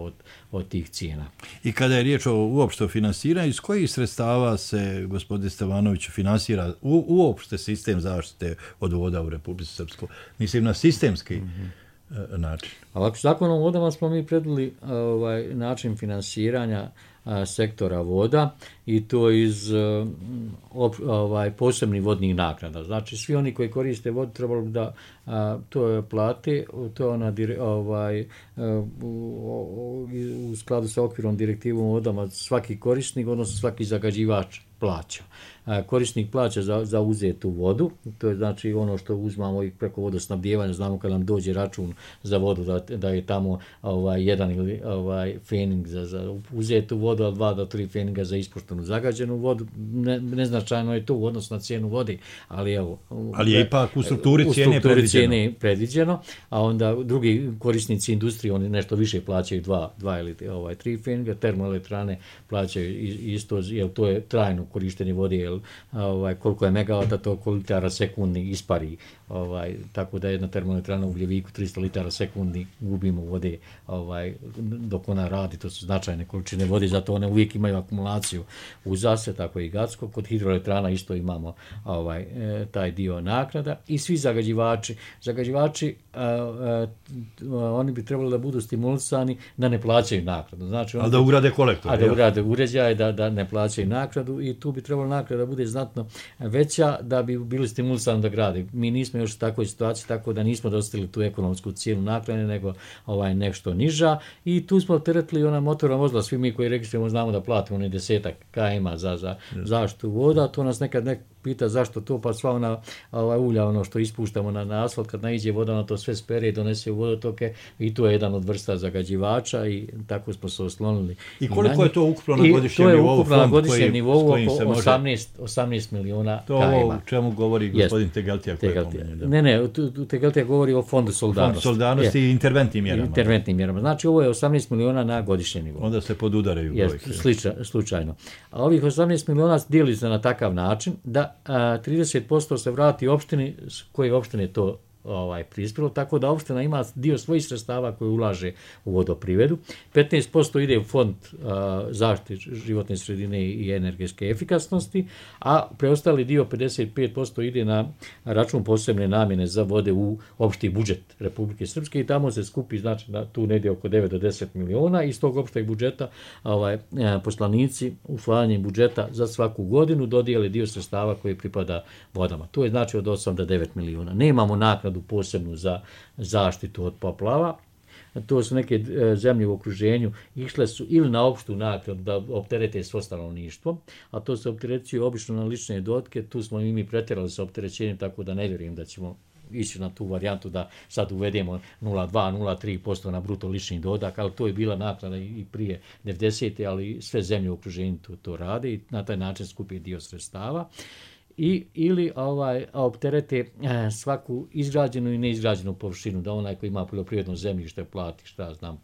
od tih cijena. I kada je riječ uopšte o finansiranju, iz kojih sredstava se, gospodine Stevanoviću, finansira uopšte sistem zaštite od voda u Republici Srpskoj? Mislim na sistemski način. Ovako, Zakonom o vodama smo mi predvidjeli način finansiranja sektora voda, i to iz posebnih vodnih naknada. Znači, svi oni koji koriste vodu trebalo bi da to plate, to je u skladu sa okvirom direktivom o vodama svaki korisnik, odnosno svaki zagađivač plaća. Korisnik plaća za uzetu vodu, to je znači ono što uzmamo i preko vodosnabdijevanja, znamo kad nam dođe račun za vodu da je tamo jedan ili fening za uzetu vodu, a 2 do 3 feninga za ispuštenu zagađenu vodu. Neznačajno je to u odnosu na cijenu vode, ali je ipak u strukturi cijene predviđeno, a onda drugi korisnici industrije, oni nešto više plaćaju 2 ili 3 feninga, termoelektrane plaćaju isto, jer to je trajno korištenje vode, jer koliko je megavata, toliko litara sekundni ispari, tako da jedna termoelektrana u Ugljeviku 300 litara sekundni gubimo vode dok ona radi. To su značajne količine vode, zato one uvijek imaju akumulaciju u Zase, tako i Gacko. Kod hidroelektrana isto imamo taj dio naknada. I svi zagađivači oni bi trebali da budu stimulisani da ne plaćaju naknadu. Znači, ali da ugrade kolektor. Da ugrade uređaje, da ne plaćaju naknadu, i tu bi trebalo naknada da bude znatno veća da bi bili stimulisani da grade. Mi nismo još u takvoj situaciji, tako da nismo dostigli tu ekonomsku cijenu naknade, nego nešto niža, i tu smo teretili ona motorna vozila. Svi mi koji registrujemo znamo da platimo 10 km za zaštitu voda. To nas nekad pita zašto to, pa sva ona ulja, ono što ispuštamo na asfalt, kad naiđe voda, ona to sve spere i donese u vodotoke i to je jedan od vrsta zagađivača i tako smo se oslonili. I koliko je to ukupno na godišnjem nivou? To je ukupno na godišnjem nivou oko može... 18 miliona KM. To o čemu govori gospodin Tegeltija? Ne, Tegeltija govori o fondu solidarnosti. Fond solidarnosti i interventnim mjerama. Interventnim mjerama. Znači ovo je 18 miliona na godišnjem nivou. Onda se podudaraju brojke. Slučajno. A ovih 18 miliona dijeli se na takav način da 30% se vrati opštini koje opštine to prispjelo, tako da opština ima dio svojih sredstava koje ulaže u vodoprivredu. 15% ide u fond zaštite životne sredine i energetske efikasnosti, a preostali dio 55% ide na račun posebne namjene za vode u opšti budžet Republike Srpske i tamo se skupi, znači tu negdje oko 9 do 10 miliona. Iz tog opšteg budžeta poslanici usvajanjem budžeta za svaku godinu dodijele dio sredstava koji pripada vodama. To je znači od 8 do 9 miliona. Nemamo naknadu posebnu za zaštitu od poplava. To su neke zemlje u okruženju išle su ili na opštu naknadu da opterete svo stanovništvo, a to se opterećuje obično na lične dohotke. Tu smo i mi pretjerali sa opterećenjem, tako da ne vjerujem da ćemo ići na tu varijantu da sad uvedemo 0,2-0,3% na bruto lični dohodak, ali to je bila naknada i prije 90. ali sve zemlje u okruženju to rade i na taj način skupi dio sredstava. Ili opterete svaku izgrađenu i neizgrađenu površinu, da onaj koji ima poljoprivredno zemljište plati, šta znam,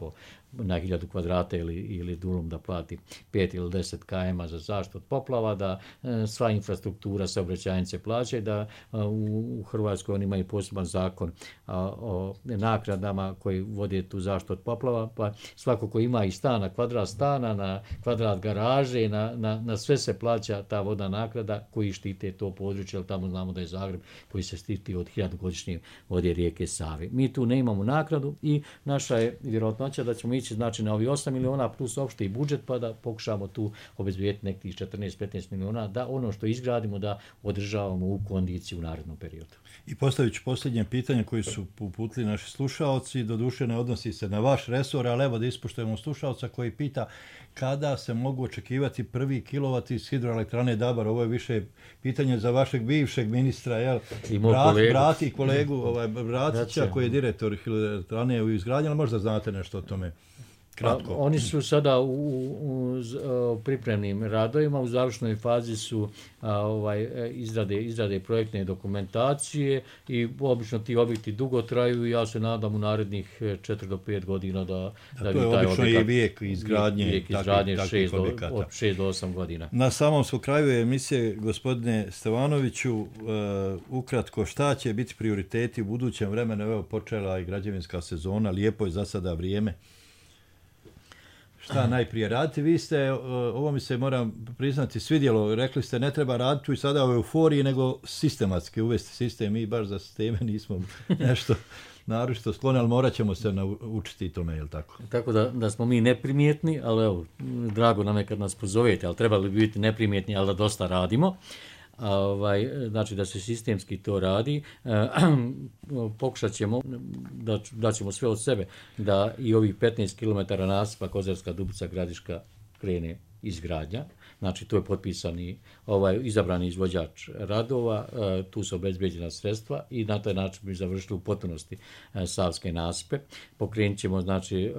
na 1000 kvadrata ili dulum da plati 5 ili 10 km za zaštitu od poplava, da sva infrastruktura saobraćajnice plaća, da u Hrvatskoj oni imaju poseban zakon o naknadama koji vode tu zaštitu od poplava, pa svako ko ima i stana, kvadrat stana, na kvadrat garaže, na sve se plaća ta vodna naknada koji štite to područje, ali tamo znamo da je Zagreb koji se štiti od 1000-godišnje vode rijeke Save. Mi tu ne imamo naknadu i naša je vjerojatnoća da ćemo ići znači na ovih 8 miliona plus opšti budžet, pa da pokušamo tu obezbediti nekih 14-15 miliona, da ono što izgradimo da održavamo u kondiciji u narednom periodu. I postavit ću posljednje pitanje koje su uputili naši slušaoci, doduše ne odnosi se na vaš resor, ali evo da ispuštujemo slušaoca koji pita kada se mogu očekivati prvi kilovat iz hidroelektrane Dabar. Ovo je više pitanje za vašeg bivšeg ministra, jel? Brati kolegu Bratića koji je direktor hidroelektrane u izgradnji, ali možda znate nešto o tome. Kratko. Oni su sada u pripremnim radovima, u završnoj fazi su izrade projektne dokumentacije i obično ti objekti dugo traju i ja se nadam u narednih 4 do 5 godina da to je obično i vijek izgradnje takvih objekata. Od 6 do 8 godina. Na samom smo kraju emisije, gospodine Stevanoviću, ukratko šta će biti prioriteti u budućem vremenu? Evo počela i građevinska sezona, lijepo je za sada vrijeme. Šta najprije raditi? Vi ste, ovo mi se moram priznati, svidjelo, rekli ste ne treba raditi i sada u euforiji, nego sistematski uvesti sistem. Mi baš za sisteme nismo nešto naročito skloni, ali morat ćemo se naučiti tome, je li tako? Tako da smo mi neprimjetni, ali evo, drago nam je kad nas pozovete, ali trebali bi biti neprimjetni, ali da dosta radimo. Znači da se sistemski to radi, pokušat ćemo da ćemo sve od sebe da i ovih 15 km nasipa Kozarska Dubica Gradiška krene izgradnja. Znači to je potpisani izabrani izvođač radova, tu su obezbeđena sredstva i na taj način bi završili u potpunosti savske nasipe. Pokrenut ćemo znači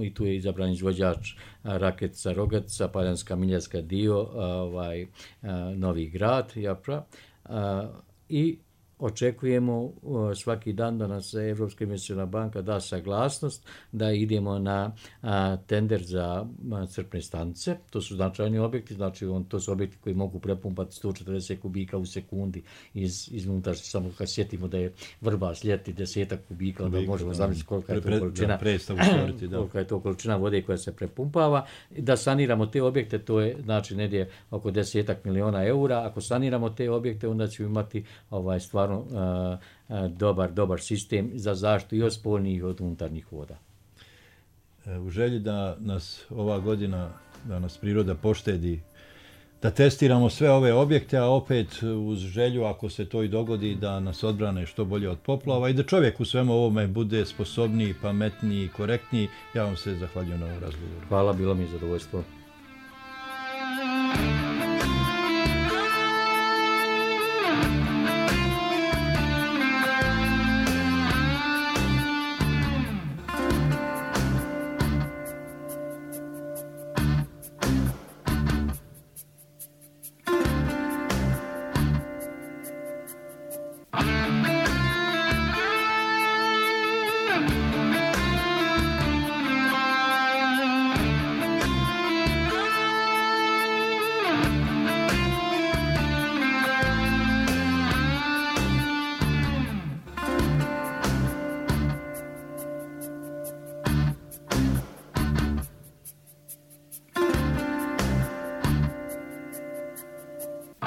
i tu je izabran izvođač Raketica, Rogatica, Paljanska, Miljarska dio, Novi Grad, Japra, i očekujemo svaki dan da nas Evropska investiciona banka da saglasnost da idemo na tender za crpne stanice. To su značajni objekti, znači to su objekti koji mogu prepumpati 140 kubika u sekundi iz unutrašnje. Samo kad sjetimo da je Vrbas ljeti 10 kubika, onda možemo zamisliti kolika je to količina, kolika je to količina vode koja se prepumpava. Da saniramo te objekte, to je znači negdje oko 10 miliona eura. Ako saniramo te objekte, onda ćemo imati stvarno dobar sistem za zaštitu i od spoljnih i od unutarnjih voda. U želji da nas ova godina, da nas priroda poštedi, da testiramo sve ove objekte, a opet uz želju, ako se to i dogodi, da nas odbrane što bolje od poplava i da čovjek u svemu ovome bude sposobniji, pametniji, korektniji. Ja vam se zahvaljujem na ovom razgovoru. Hvala, bilo mi zadovoljstvo.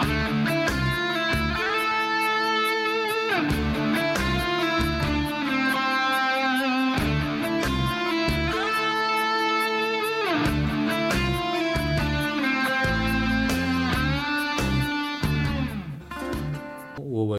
Hrvatska.